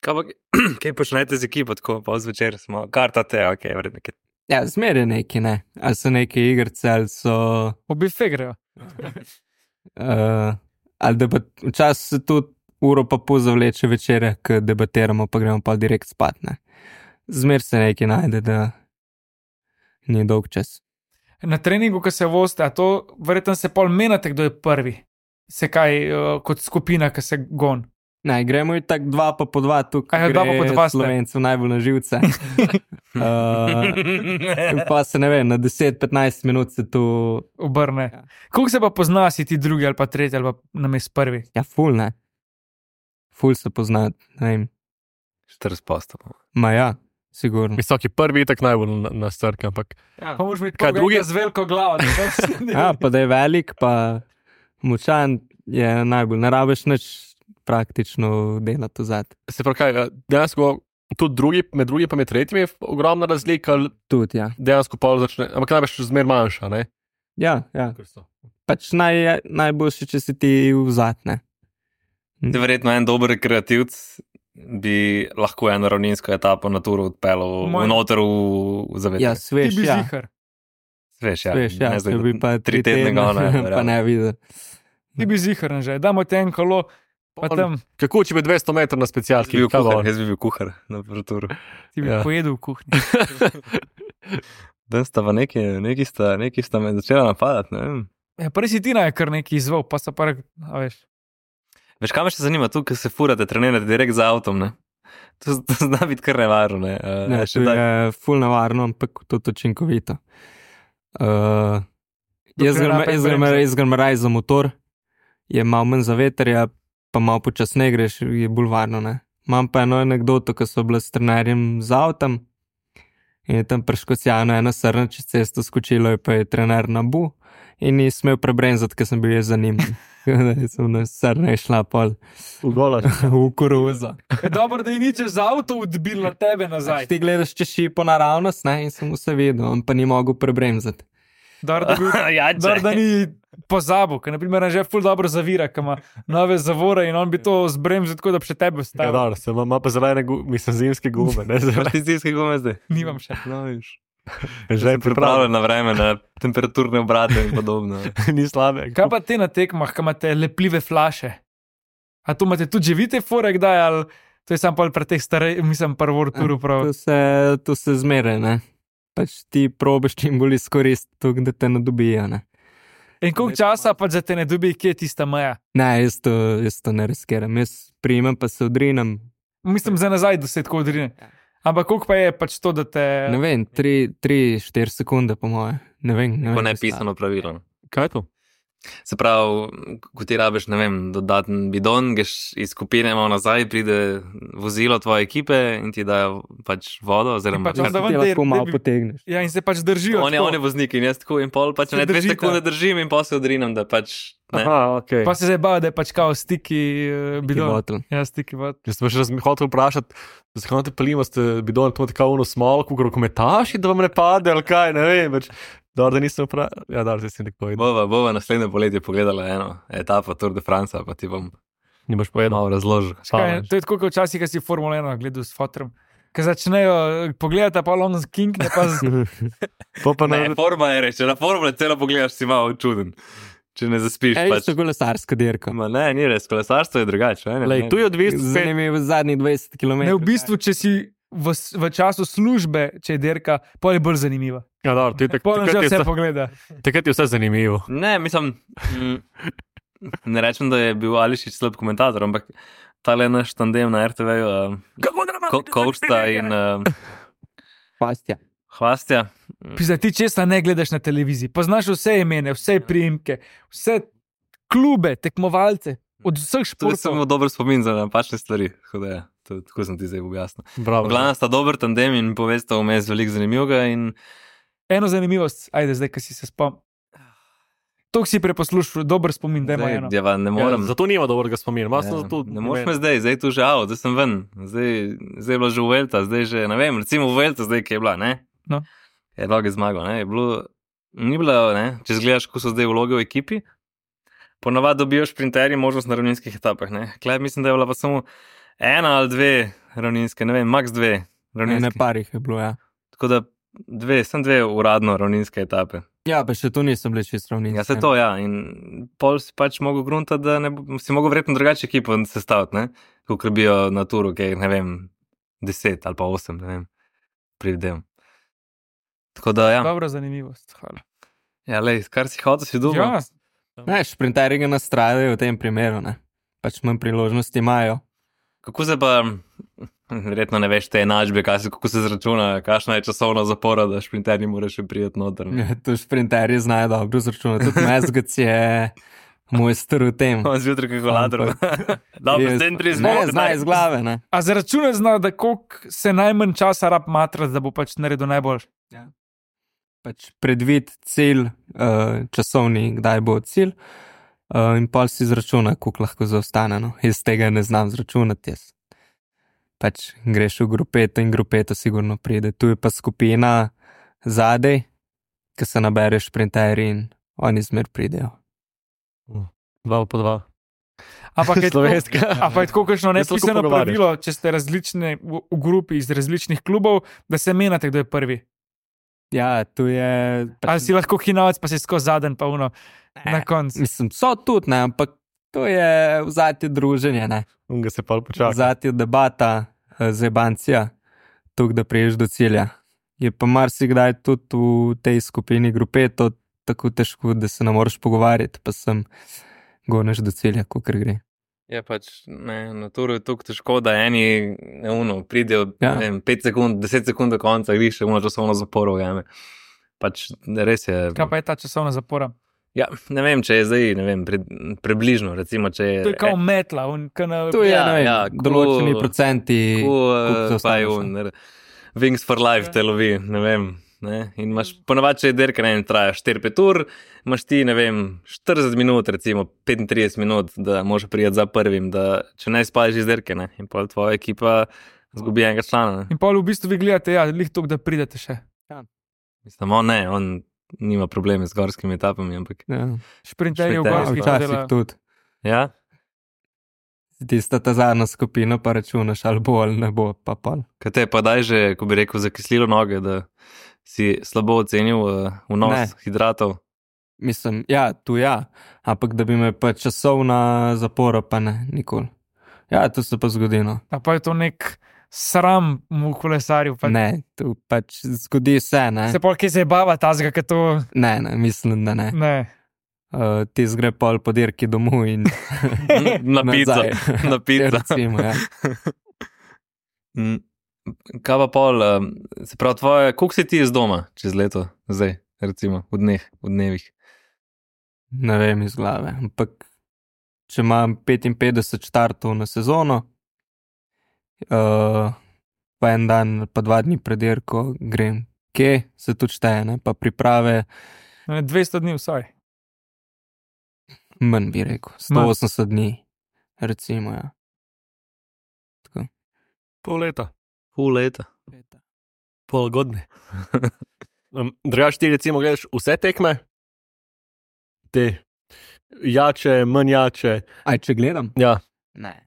Kaj, pa, kaj počnete z ekipo, tako pa zvečer smo, kartate, ok, vredno. Ja, zmeraj neki, ne. Ali so neke igrice, ali so... V bife grejo. Uh, ali debat, včasih se tudi uro pa pol zavleče večere, ko debatiramo, pa gremo pa direkt spat, ne. Zmer se nekaj najde, da ni dolg čas. Na treningu, ko se vozite, a to verjetno se pol menate, kdo je prvi. Se kaj, uh, kot skupina, ki se gon. Ne, gremo in tako dva pa po dva, tukaj Aja, dva pa po dva ste. Slovencev najbolj na živce. uh, pa se ne vem, na deset petnajst minut se tu... Obrne. Ja. Koliko se pa pozna, si ti drugi ali pa tretji ali pa namest prvi? Ja, ful, ne. Ful se pozna, ne vem. štirideset posto. Ma ja, sigurno. Visoki prvi je tak najbolj na, na strk, ampak Pa moraš biti Kaj koga drugi? enega z veliko glavo. da- Ja, pa da je velik, pa močan je najbolj. Ne rabiš nič praktično delati vzad. se pravi, kaj, dejansko tudi drugi, med drugi pa med tretjimi je ogromna razlika, ali Tudi, ja. dejansko pol začne, ampak največ zmer manjša, ne? Ja, ja. Pač naj, najboljše, če si ti vzad, ne. Te verjetno en dober rekreativc bi lahko eno ravninsko etapo na turu odpeljal Moj- noter v, v zavetrje. Ja, Ti sveš, bi ja. zihar. Sveš, ja. Sveš, ja. Ne zdaj, Če bi pa tri tedne ga ne. pa ne videl. Ti bi zihar, že. Damo ti en kolo, pa On- tam Kako če bi dvesto metrov na Jaz bi specialki? bil kaj bo? kuhar, jaz bi bil kuhar na turu. ti bi Ja. pojedel v kuhinji. Dan sta pa neki, neki sta, neki sta me začela napadati, ne vem. Ja, prej si ti naj kar neki izval, pa so pa, a veš. Veš, kaj me še zanima, tu, ko se furate, trenirate direkt z avtom, ne? To, to zna biti kar nevarno, ne? Uh, Ne, še to daj- je ful navarno, ampak tudi učinkovito. Uh, jaz Dokler grem- rapen jaz grem bremze. jaz grem raje za motor, je malo manj za veterja, pa malo počasneje greš, je bolj varno, ne. Imam pa eno anekdoto, ko so bila s trenerjem z avtom in je tam preškocjano ena srna čez cesto skočilo, je pa je trener na bu in ni smel prebrenzati, ker sem bil jaz za njim. Da sem na srna je šla pol V gola. v koruzo. Je dobro, da je ni čez avto odbil na tebe nazaj. Ti gledaš čez šipo naravnost, ne, in sem vse videl, on pa ni mogel prebremzati. Dobro, da, bil, ja, dobro, da ni pozabil, ker naprimer že ful dobro zavira, ker ima nove zavore in on bi to zbremzil tako, da bi še tebe Ja, stavil. dobro, se ima, ima pa zelene, gu- mislim, zimske gume, ne Imaš zelene. ti zimske gume zdaj? Nimam še. No, viš. Že je Pripravljen pripravljen, na vreme, na temperaturne obrate in podobno. ni slabe. Kaj pa te na tekmah, kaj imate lepljive flaše? A to imate tudi že vi te fore kdaj, ali to je sam pol pre teh starej, mislim, prvo turu prav. To se, to se zmere, ne. Pač ti probiš čim bolj izkoristiti, da te ne dobijo, ne. In koliko časa pa za te ne dobi, kje je tista meja? Ne, jaz to, jaz to ne riskiram. Jaz primem pa se odrinem. Mislim, za nazaj, da se tako odrine. Ampak koliko pa je pač to, da te... Ne vem, tri, tri, štiri sekunde po moje. Ne vem. Ne Ko vem, ne pisano pravilo. Kaj je to? Se pravi, ko ti rabiš, ne vem, dodaten bidon, greš iz skupine malo nazaj, pride vozilo tvoje ekipe in ti dajo pač vodo, oziroma pač kar- onda Ti ven lahko der- malo der bi- potegneš. Ja, in se pač držijo. on je, tako. on je voznik in jaz tako in pol, pač Se ne dve držita. sekunde držim in pol se odrinem, da pač ne. Aha, ok. Pa se zdaj bajo, da je pač kao stiki uh, bidon. Bottle. Ja, stiki bidon. Jaz sem še raz hotel vprašati, zakaj te palimo, ste bidon, to je tako uno smolko, rokometaši, da vam ne pade, ali kaj, ne vem, več. Dobro, da nisem vprašal. Ja, dobro, zdaj si nekako videl. Bova, bova naslednje poletje pogledala eno etapo Tour de France, pa ti bom Ni boš povedal. malo razložil. Kaj, to je tako, kot včasih, ko si Formula ena gledal s fotom. Ko začnejo pogledati, pa long king, ne pa z... Pa pa Ne, ne. forma je reče, na formule celo pogledaš, si malo čuden, če ne zaspiš. Ej, Pač. to je kolesarska dirka. Ma ne, ni res, kolesarstvo je drugače. Ne, Lej, tu je odvisno spet. Zanimivo zadnjih dvajset kilometrov. Ne, v bistvu, če si v, s- v času službe, če je dirka, pol je bolj zanimiva. Ja, dobro, ti tak- Pol že takrat je vse vse- pogleda. takrat je vse zanimivo. Ne, mislim, mm, ne rečem, da je bil Ališič slab komentator, ampak tale naš tandem na R T V-ju, uh, Ko- Kovšta in uh, Pastja. Hvastja. Pisa, ti česa ne gledaš na televiziji, poznaš vse imene, vse priimke, vse klube, tekmovalce, od vseh To je samo športov. dober spomin za napačne stvari. Tako, da, ja, to, tako sem ti zdaj objasnil. Bravo. Glavno sta dober tandem in povesta vmes veliko zanimivega. In Eno zanimivost, ajde, zdaj, ki si se spomnil. To si preposlušal, dober spomin, da ima eno. zdaj, ja, ne Ja, morem. zato nima dobrega spomina. Malo sem Ja, zato ne moreš me zdaj, zdaj tu že av, zdaj sem ven, zdaj, zdaj je bila že Vuelta, zdaj že, ne vem, recimo Vuelta, zdaj ki je bila, ne? No. Je dolgo zmagal, ne? Je bilo, ni bilo, ne? Če zgledaš, ko so zdaj vloge v ekipi, ponavadi dobijo šprinterji možnost na ravninskih etapah, ne? Klej mislim, da je bila pa samo ena ali dve ravninske, ne vem, max dve Ne ravninske. parih je bilo, ja. Tako da dve, sem dve uradno ravninske etape. Ja, pa še tu nisem bil čisto ravninski. Ja, se to, ja. In pol si pač mogel grunta, da ne, bo- si mogel verjetno drugače ekipo sestaviti, ne? Kot bijo na turu, ki je, ne vem, deset ali pa osem, ne vem, pridem. Tako da, ja, Dobra zanimivost. Hvala. ja lej, kar si hotel, si dobro. Ja, Ne, šprinterji ga nastradajo v tem primeru, ne. Pač manj priložnosti imajo. Kako se pa, verjetno ne veš te enačbe, kaj se, kako se zračuna, kakšna je časovna zapora, da šprinterji moraš še prijeti noter. ne? Ja, tu šprinterji znajo dobro zračunati. Tudi Mezgac je mojster v tem. On zjutraj kalkulator. Dobro, Je- zdaj trideset Ne, minut. zna iz glave, ne. a za račune zna, da koliko se najmanj časa rab matrati, da bo pač naredil najboljši. Pač predvid cilj, uh, časovni, kdaj bo cilj, uh, in pol si izračuna, koliko lahko zaostane. No. Jaz tega ne znam zračunati. Jaz. Pač greš v grupeto in grupeto sigurno pride. Tu je pa skupina zadej, ki se nabere šprinterji in oni zmer pridejo. Dva po dva. Ampak je tako, Slovenska. a pa je tako kakšno Jaz se lahko nepisano pogovarjaš. pravilo, če ste različne v, v grupi iz različnih klubov, da se menjate, kdo je prvi. Ja, tu je. Pač, Ali si lahko hinavec, pa si skozi zadnji, pa uno na koncu. Mislim, so tudi, ne, ampak to je vzati druženje, ne. Unga se pa počaka. Vzati debata, eh, zebancija, tukaj, da priješ do cilja. Je pa marsikdaj tudi v tej skupini grupeto tako težko, da se ne moreš pogovarjati, pa sem goneš do cilja, kot gre. Ja, pač ne, na turu je tako težko, da eni ne, uno, pridejo Ja. ja. pet sekund, deset sekund do konca, griš še uno časovno zaporo ujame. Pač res je. Kaj pa je ta časovna zapora? Ja, ne vem, če je zdaj, ne vem, pre, približno, recimo, če je. To je kao metla, on, na, Tu je Ja, ja, vem, ja, ja, ko- določeni procenti. Ko, koliko uh, pa zaostaneš, je ne. un, ne, Wings for Life te lovi, ne vem. Ne? In imaš ponavadi, če je derka, ne vem, traja štiri pet ur, imaš ti, ne vem, štirideset minut, recimo petintrideset minut, da moraš prijeti za prvim, da če ne spališ iz derke, ne, in pa tvoja ekipa zgubi enega člana. Ne. In pol v bistvu vi gledate, ja, lih to, da pridete še. Mislim, on ne, on nima probleme z gorskimi etapami, ampak Ja, Šprinterji v Šprinterji, gorskih včasih delajo. tudi. ja. Tista ta zadnja skupina, pa računaš, ali bo ali ne bo, pa pa. Kaj te pa daj že, ko bi rekel, zakislilo noge, da si slabo ocenil uh, vnos Ne. hidratov. Mislim, ja, tu ja, ampak da bi me pa časovna zapora, pa ne, nikoli. Ja, to se pa zgodi, no. A pa je to nek sram v kolesarju. Pa, Ne, tu pač zgodi se, ne. se pol kje se je bava tazga, ker to Ne, ne, mislim, da ne. ne. Uh, ti zgre pol po dirki domov in Na pico, nazaj. na pico. Recimo, ja. Mm, Kaj pa pol, um, se pravi, tvoje, koliko si ti iz doma čez leto, zdaj, recimo, v dneh, v dnevih? Ne vem iz glave. Ampak, če imam petinpetdeset štartov na sezono, uh, pa en dan, pa dva dni pred dirko grem, kje se tu šteje, ne? Pa priprave, Ne, dvesto dni vsaj. manj bi rekel, sto osemdeset dni, recimo. Ja. Pol leta, Pol leta. pol godine. Um, Drugač ti recimo gledaš vse tekme, te jače, manj jače. Aj, če gledam? Ja, Ne.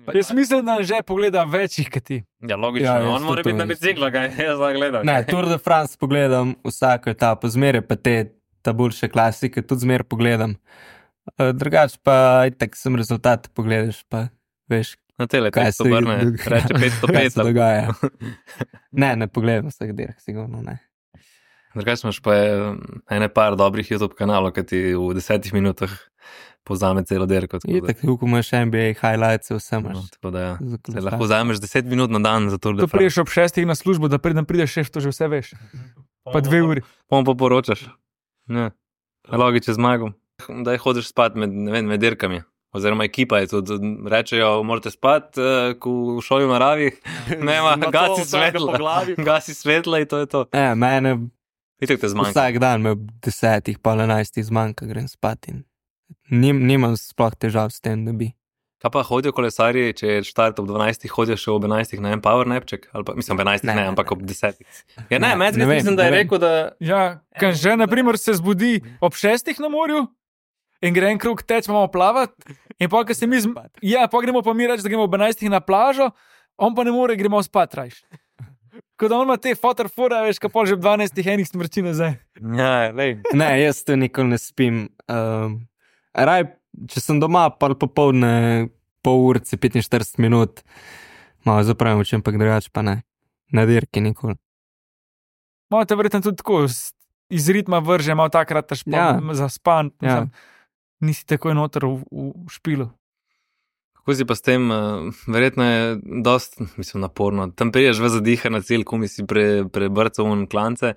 Jaz mislim, da že pogleda večjih kot ti. Ja, logično, Ja, ja, jaz on mora tudi biti na mislim. biciklu, kaj jaz zdaj gledam. Ne, Tour de France pogledam vsako etapo, zmeraj pa te ta boljše klasike, tudi zmeraj pogledam. Uh, drugač pa, itak sem rezultat pogledaš, pa veš, Na tele, Kaj tekst se obrne, dogaja? reče petsto Kaj pet. se dogaja? Ne, ne pogledam vseh dirk, sigurno ne. Drugače imaš pa eh, ene par dobrih YouTube kanalov, ki ti v desetih minutah povzame celo dirko. tako Je da- tako, ko imaš N B A highlights, vse No, imaš. tako da ja. Za Se kolesar. lahko vzameš deset minut na dan za Tour de To France. priješ ob šestih na službo, da pridem prideš šest, to že vse veš. Pa dve uri. Pom pa poročaš. Ne. Logiče zmagom. Da hodiš spat med, ne vem, med dirkami. Oziroma ekipa je tudi, rečejo, morate spat, uh, ko v šoli v naravi, nema, Na to gasi vsakega po svetla, glavi. gasi svetla in to je to. E, mene Itak te zmanjka. vsak dan me ob desetih, pol enajstih zmanjka, grem spat in nim, nimam sploh težav s tem, da bi. Kaj pa hodijo kolesarji, če je štart ob dvanajstih, hodijo še ob enajstih na en power napček? Ali pa, mislim, ob enajstih ne, Ne, ne, ne, ampak ne. ob desetih. Ja, ne, Ne, ne, ne vem, mislim, da je ne vem. rekel, da... Ja, kan že, na primer, se zbudi ob šestih na morju in gre en krug teč, imamo plavati. In pa, ko se mi, zm... ja, pa gremo pa mi reči, da gremo ob enajstih na plažo, on pa ne more, gremo spat rajš. Ko da on ima te fotorfore, veš, ka pol že ob dvanajstih enih smrči nazaj. Ja, lej. Ne, jaz to nikoli ne spim. Um, raj, če sem doma, pa popoldne, pol urce, petinštirideset minut, malo zapravim oči, ampak drugače pa ne. Na dirki nikoli. Malo te verjetno tudi tako s- iz ritma vrže, malo takrat taš pa Ja. za span. Ja. Nisi takoj noter v, v špilu. Kako si pa s tem, uh, verjetno je dost, mislim, naporno. Tam priješ v zadiha na cilj, kumi si pre, prebrcal v klance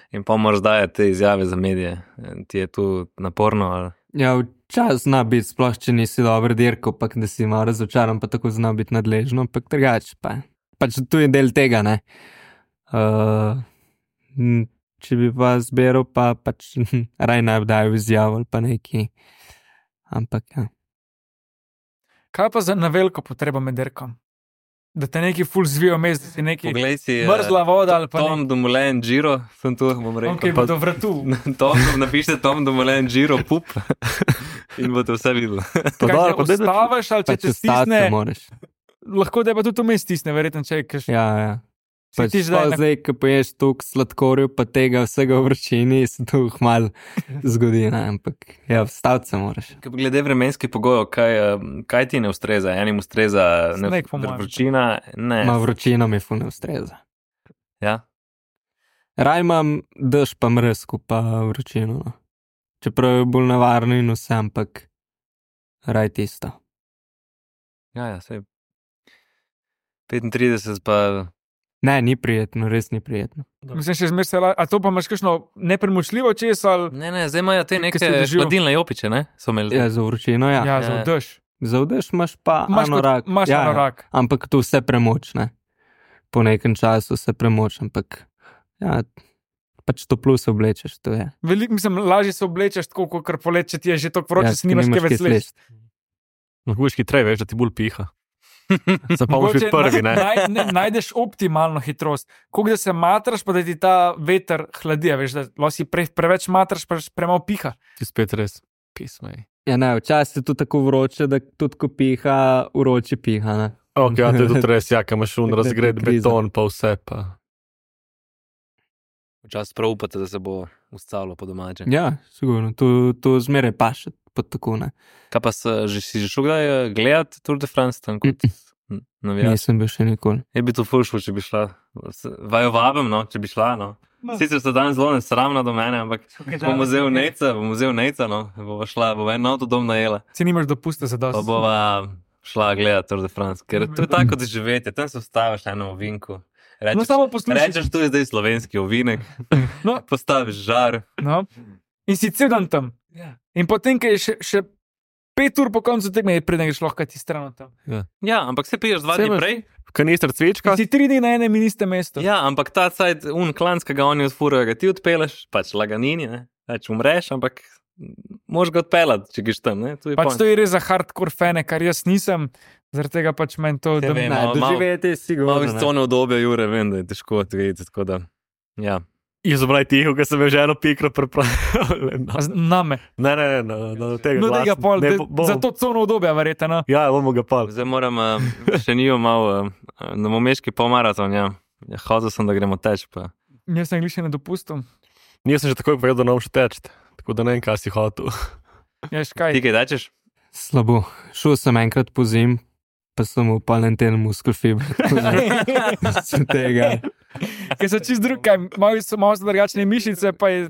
in pa moraš dajati te izjave za medije. Eh, Ti je tu naporno, ali... Ja, včasih zna biti, sploh če nisi dober dirko, pa da si malo razočaran, pa tako zna biti nadležno, ampak drugače pa. Pač tu je del tega, ne. Uh, m, če bi pa zbiral, pa pač raj naj bi dajal izjavo ali pa neki. Ampak ja. Kaj pa za na veliko potrebo med dirkom? Da te neki ful zvijo mes, da si neki Poglej si... eh, mrzla voda ali pa Tom Dumoulin Giro, sem tu, bom rekel. nekaj pa do vratu. Tom, napišite Tom Dumoulin Giro, pup in boste vse videli. Pa Kaj dobro, te pa daj, da- ustaviš ali če Pač te ostati stisne, moraš. lahko da pa tudi vmes stisne, verjetno če je kaš. Ja, ja. Si Pač ti zdaj sploh na- zdaj, ko poješ toliko sladkorjev, pa tega vsega v vročini, se to hmal zgodi, ne, ampak ja, vstaviti se moraš. Kaj pa glede vremenskih pogojev, kaj, eh, kaj ti ne ustreza? Enim ustreza ne, Sneg, po mojem. vročina, ne. Ma vročina mi ful ne ustreza. Ja. Raj imam dež pa mrzko, pa vročino. No. Čeprav je bolj nevarno in vse, ampak raj tisto. Ja, ja, sej. petintrideset pa... Ne, ni prijetno, res ni prijetno. Mislim, še zmeraj se la... A to pa imaš kakšno nepremočljivo čez ali Ne, ne, zdaj imajo te Kaj neke si doživel? hladilne jopiče, ne? So imeli. Ja, za vročino, ja. ja, ja. za Ja. vdeš. Za vdeš imaš pa Imaš kot- anorak. imaš ja, anorak. Ja. Ampak to vse premoč, ne. Po nekem času se premoč, ampak ja, pač to plus oblečeš, to je. Veliko, mislim, lažje se oblečeš tako, kot polet, če ti je že tako vroče, Ja, si nimaš kaj več sledi. lahko boš hitreje, veš, da ti bolj piha. Se pa boš biti prvi, ne? Naj, ne, najdeš optimalno hitrost. Koliko da se matraš, pa da ti ta veter hladi, a veš, da lahko si pre, preveč matraš, pa premalo piha. Ti spet res pismej. Ja, ne, včasih je to tako vroče, da tudi ko piha, vroče piha, ne. Ok, ja, to je tudi res, ja, kam imaš un Tako da je razgred to kriza. beton, pa vse pa. Včasih prav upate, da se bo ustavilo po domače. Ja, sigurno, to, to zmeraj paše pod tako, ne. Kaj pa se, že, si že šel kdaj eh, gledat Tour de France tam kot Mm, navijač? Nisem bil še nikoli. Je bi to ful šlo, če bi šla. Se- Vaju vabim, no, če bi šla, no. Sicer so danes zelo nesramna do mene, ampak bom vzel nejca, bom vzel nejca, no. Bova šla, bova en avtodom najela. Si nimaš dopusta za Pa dosti. bova šla gledat Tour de France, ker to je tako kot živeti, tam se vstaviš na eno ovinku. No, Rečeš, samo poslušaj. rečeš, tu je zdaj slovenski ovinek, No, postaviš žar. no. In si cel dan tam. In potem, ko je še, še pet ur po koncu tekme, preden greš lahko ti stran od tam. Ja, ampak se piješ dva Saj dni imaš- prej. Kanister cvečka, In si tri dni na enem in istem mestu. Ja, ampak ta cajt, un klanc, ki ga oni odfurajo, ga ti odpeleš, pač laganini, ne. Pač umreš, ampak moš ga odpeljati, če greš tam, ne. To je Pač point. to je res za hardcore fane, kar jaz nisem, zaradi tega pač meni to. Saj Da, vem. Ne, malo- doživeti je sigurno. Malo iz ne. cone obdobja, Jure, vem, da je težko odvedeti, tako da, ja. jaz sem raj tiho, ker sem že eno pikro pripravil. a z- name. Ne, ne, ne, no, no, tega No, tega glasno. pol, Ne, da- bo- bo- za to cono obdobja, verjetno. No. Ja, bomo ga pol. Zdaj moram, uh, še nijo malo, uh, na momeški polmaraton, ja. Ja, hodil sem, da gremo teč, pa. Jaz sem glih še na dopustu. Nisem že takoj povedal, da ne bom še teč, tako da ne vem, kaj si hotel. Ja, škaj. Ti kaj tečeš? Slabo. Šel sem enkrat po zim, pa sem v palenten muskel fiber. Z tega. Ker so čist drug, kaj, malo so, malo so drugačne mišice, pa je...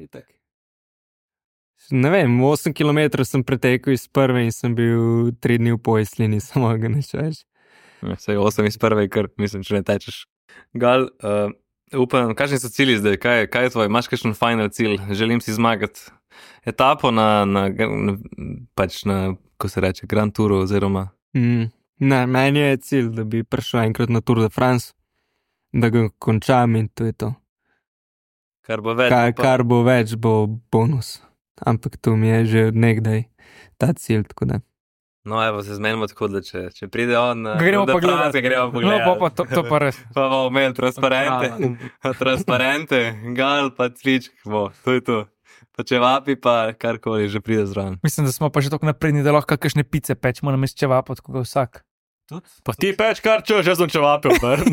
Ne vem, osem kilometrov sem pretekel iz prve in sem bil tri dni v pojsli, nisem mogel nič več. Vse osem iz prve, ker mislim, če ne tečeš. Gal, uh, upam, kakšni so cilji zdaj, kaj, kaj je tvoj, imaš kakšen final cilj, želim si zmagati etapo na, na, na pač na, ko se reče, Grand Touru oziroma... Mm, ne, meni je cilj, da bi prišel enkrat na Tour de France, da ga končam in to je to. Kar bo več. Kar, kar bo več, bo bonus. Ampak to mi je že od nekdaj ta cilj, tako da. No, evo, se zmenimo tako, da če, če pride on... Gremo pa gledati. Gremo pa gledati. No, pa, pa to, to pa res. Pa bomo imeli transparente, transparente, gal pa cvičk, bo, to je to. Pa če vapi, pa karkoli že pride zraven. Mislim, da smo pa že tako napredni, da lahko kakšne pice pečemo na mesto čevapa, tako ga vsak. Pa ti peč kar čuš, jaz sem čevapil, ber.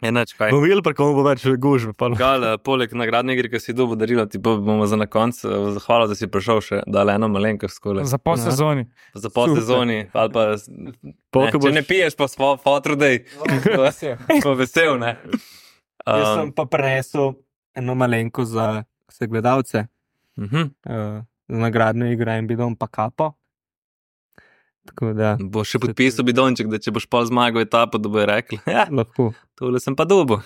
Enač, kaj? Bom videl, pa komu bo več gužbe. Gal, poleg nagradne igre, ki si dobil darilo, ti pa bomo za na konc zahvalil, da si prišel še, dale eno malenkost skole. Za pol sezoni. Za pol sezoni, ali pa... Polka Ne, če boš- ne piješ, pa smo fotru, dej. Pa vesel, ne? Jaz Um, sem pa prenesel eno malenko za vse gledalce, mhm. uh, za nagradno igro in bidon pa kapo. Tako da Bo še podpisal bidonček, da če boš pol zmagal etapo, da bojo rekli, ja, lahko. tole sem pa dobil.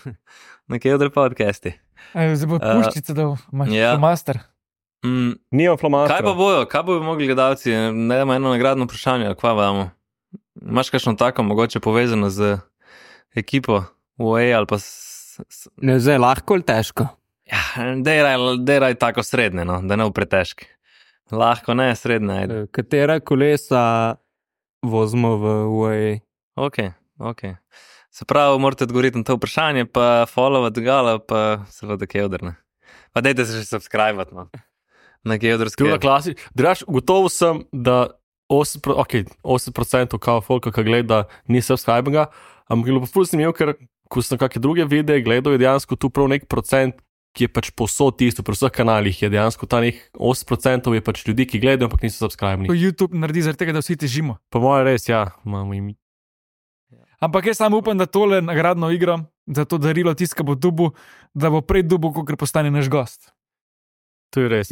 Na Kevdre podcasti. Ej, zdaj bo Uh, puščica, da imaš ja. master. Mm, Nimam flomastra. kaj pa bojo, kaj bojo mogli gledalci? Ne damo eno nagradno vprašanje, ali kva vamo? Imaš kakšno tako, mogoče povezano z ekipo U A E ali pa s, s, Ne, zdaj lahko ali težko? ja, deraj, deraj tako srednje, no, da ne v pretežki. Lahko ne, srednje, ajde. Uh, katera kolesa vozimo v U A E? Ok, ok. Se pravi, morate odgovoriti na to vprašanje, pa followati gala, pa seveda Kevdrne. Pa dajte se še subscribe-at, no. Na Kevdrske. Skrivna klasi. Draž, gotovo sem, da osem procentov, okay, osem procentov kao folka, ki gleda, ni subscribe-ga, ampak je bilo pa ful zanimivo, ker ko sem kakšne druge videe gledal, je dejansko tu prav nek procent, ki je pač posod tisto, pri vseh kanalih je dejansko ta nek osem procentov je pač ljudi, ki gledajo, ampak niso To subscribe-ni. YouTube naredi zaradi tega, da vsi težimo. Po mojem res, ja, imamo imi. Ampak jaz samo upam, da tole nagradno igro, za to darilo tiska bo dubu, da bo prej dubu, kot postane naš gost. To je res.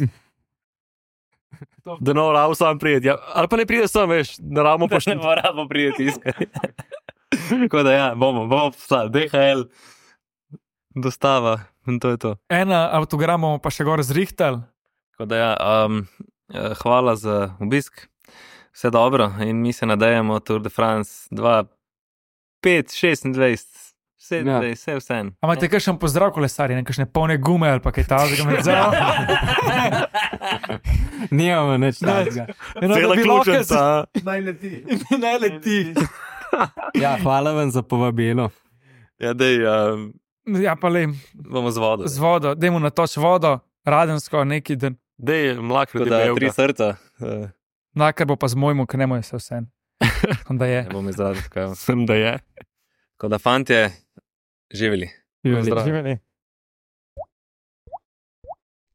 Da no, ravo sam prijeti, ja. Ali pa ne pride sam, veš, da ramo Ne pošti. moramo prijeti iskati. Tako da ja, bomo, bomo poslali, D H L, dostava in to je to. Ena avtogram bomo pa še gor zrihtali. Tako da ja, um, eh, hvala za obisk, vse dobro in mi se nadejamo Tour de France dva, pet, šestindvajset, sedemindvajset, vse vse. A imate kakšen pozdrav kolesarji, nekakšne polne gume ali pa kaj takega med zelo? Nimamo nič takega. Cela ključnica. Naj leti. Naj leti. Ja, hvala vam za povabilo. Ja, dej, um, Ja, pa le, bomo z vodo. z vodo, dajmo natoč vodo, radensko neki dan. Dej, mlak Tako ljudi da belga. tri srca, uh, Nakar bo pa z mojmu, ker ne more se vse. Onda je. ne bom izrazil, kaj. Sem, da je. Tako da fantje, živeli. Pozdrav.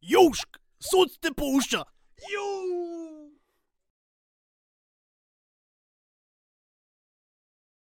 Južk, sod te pušča. Južk.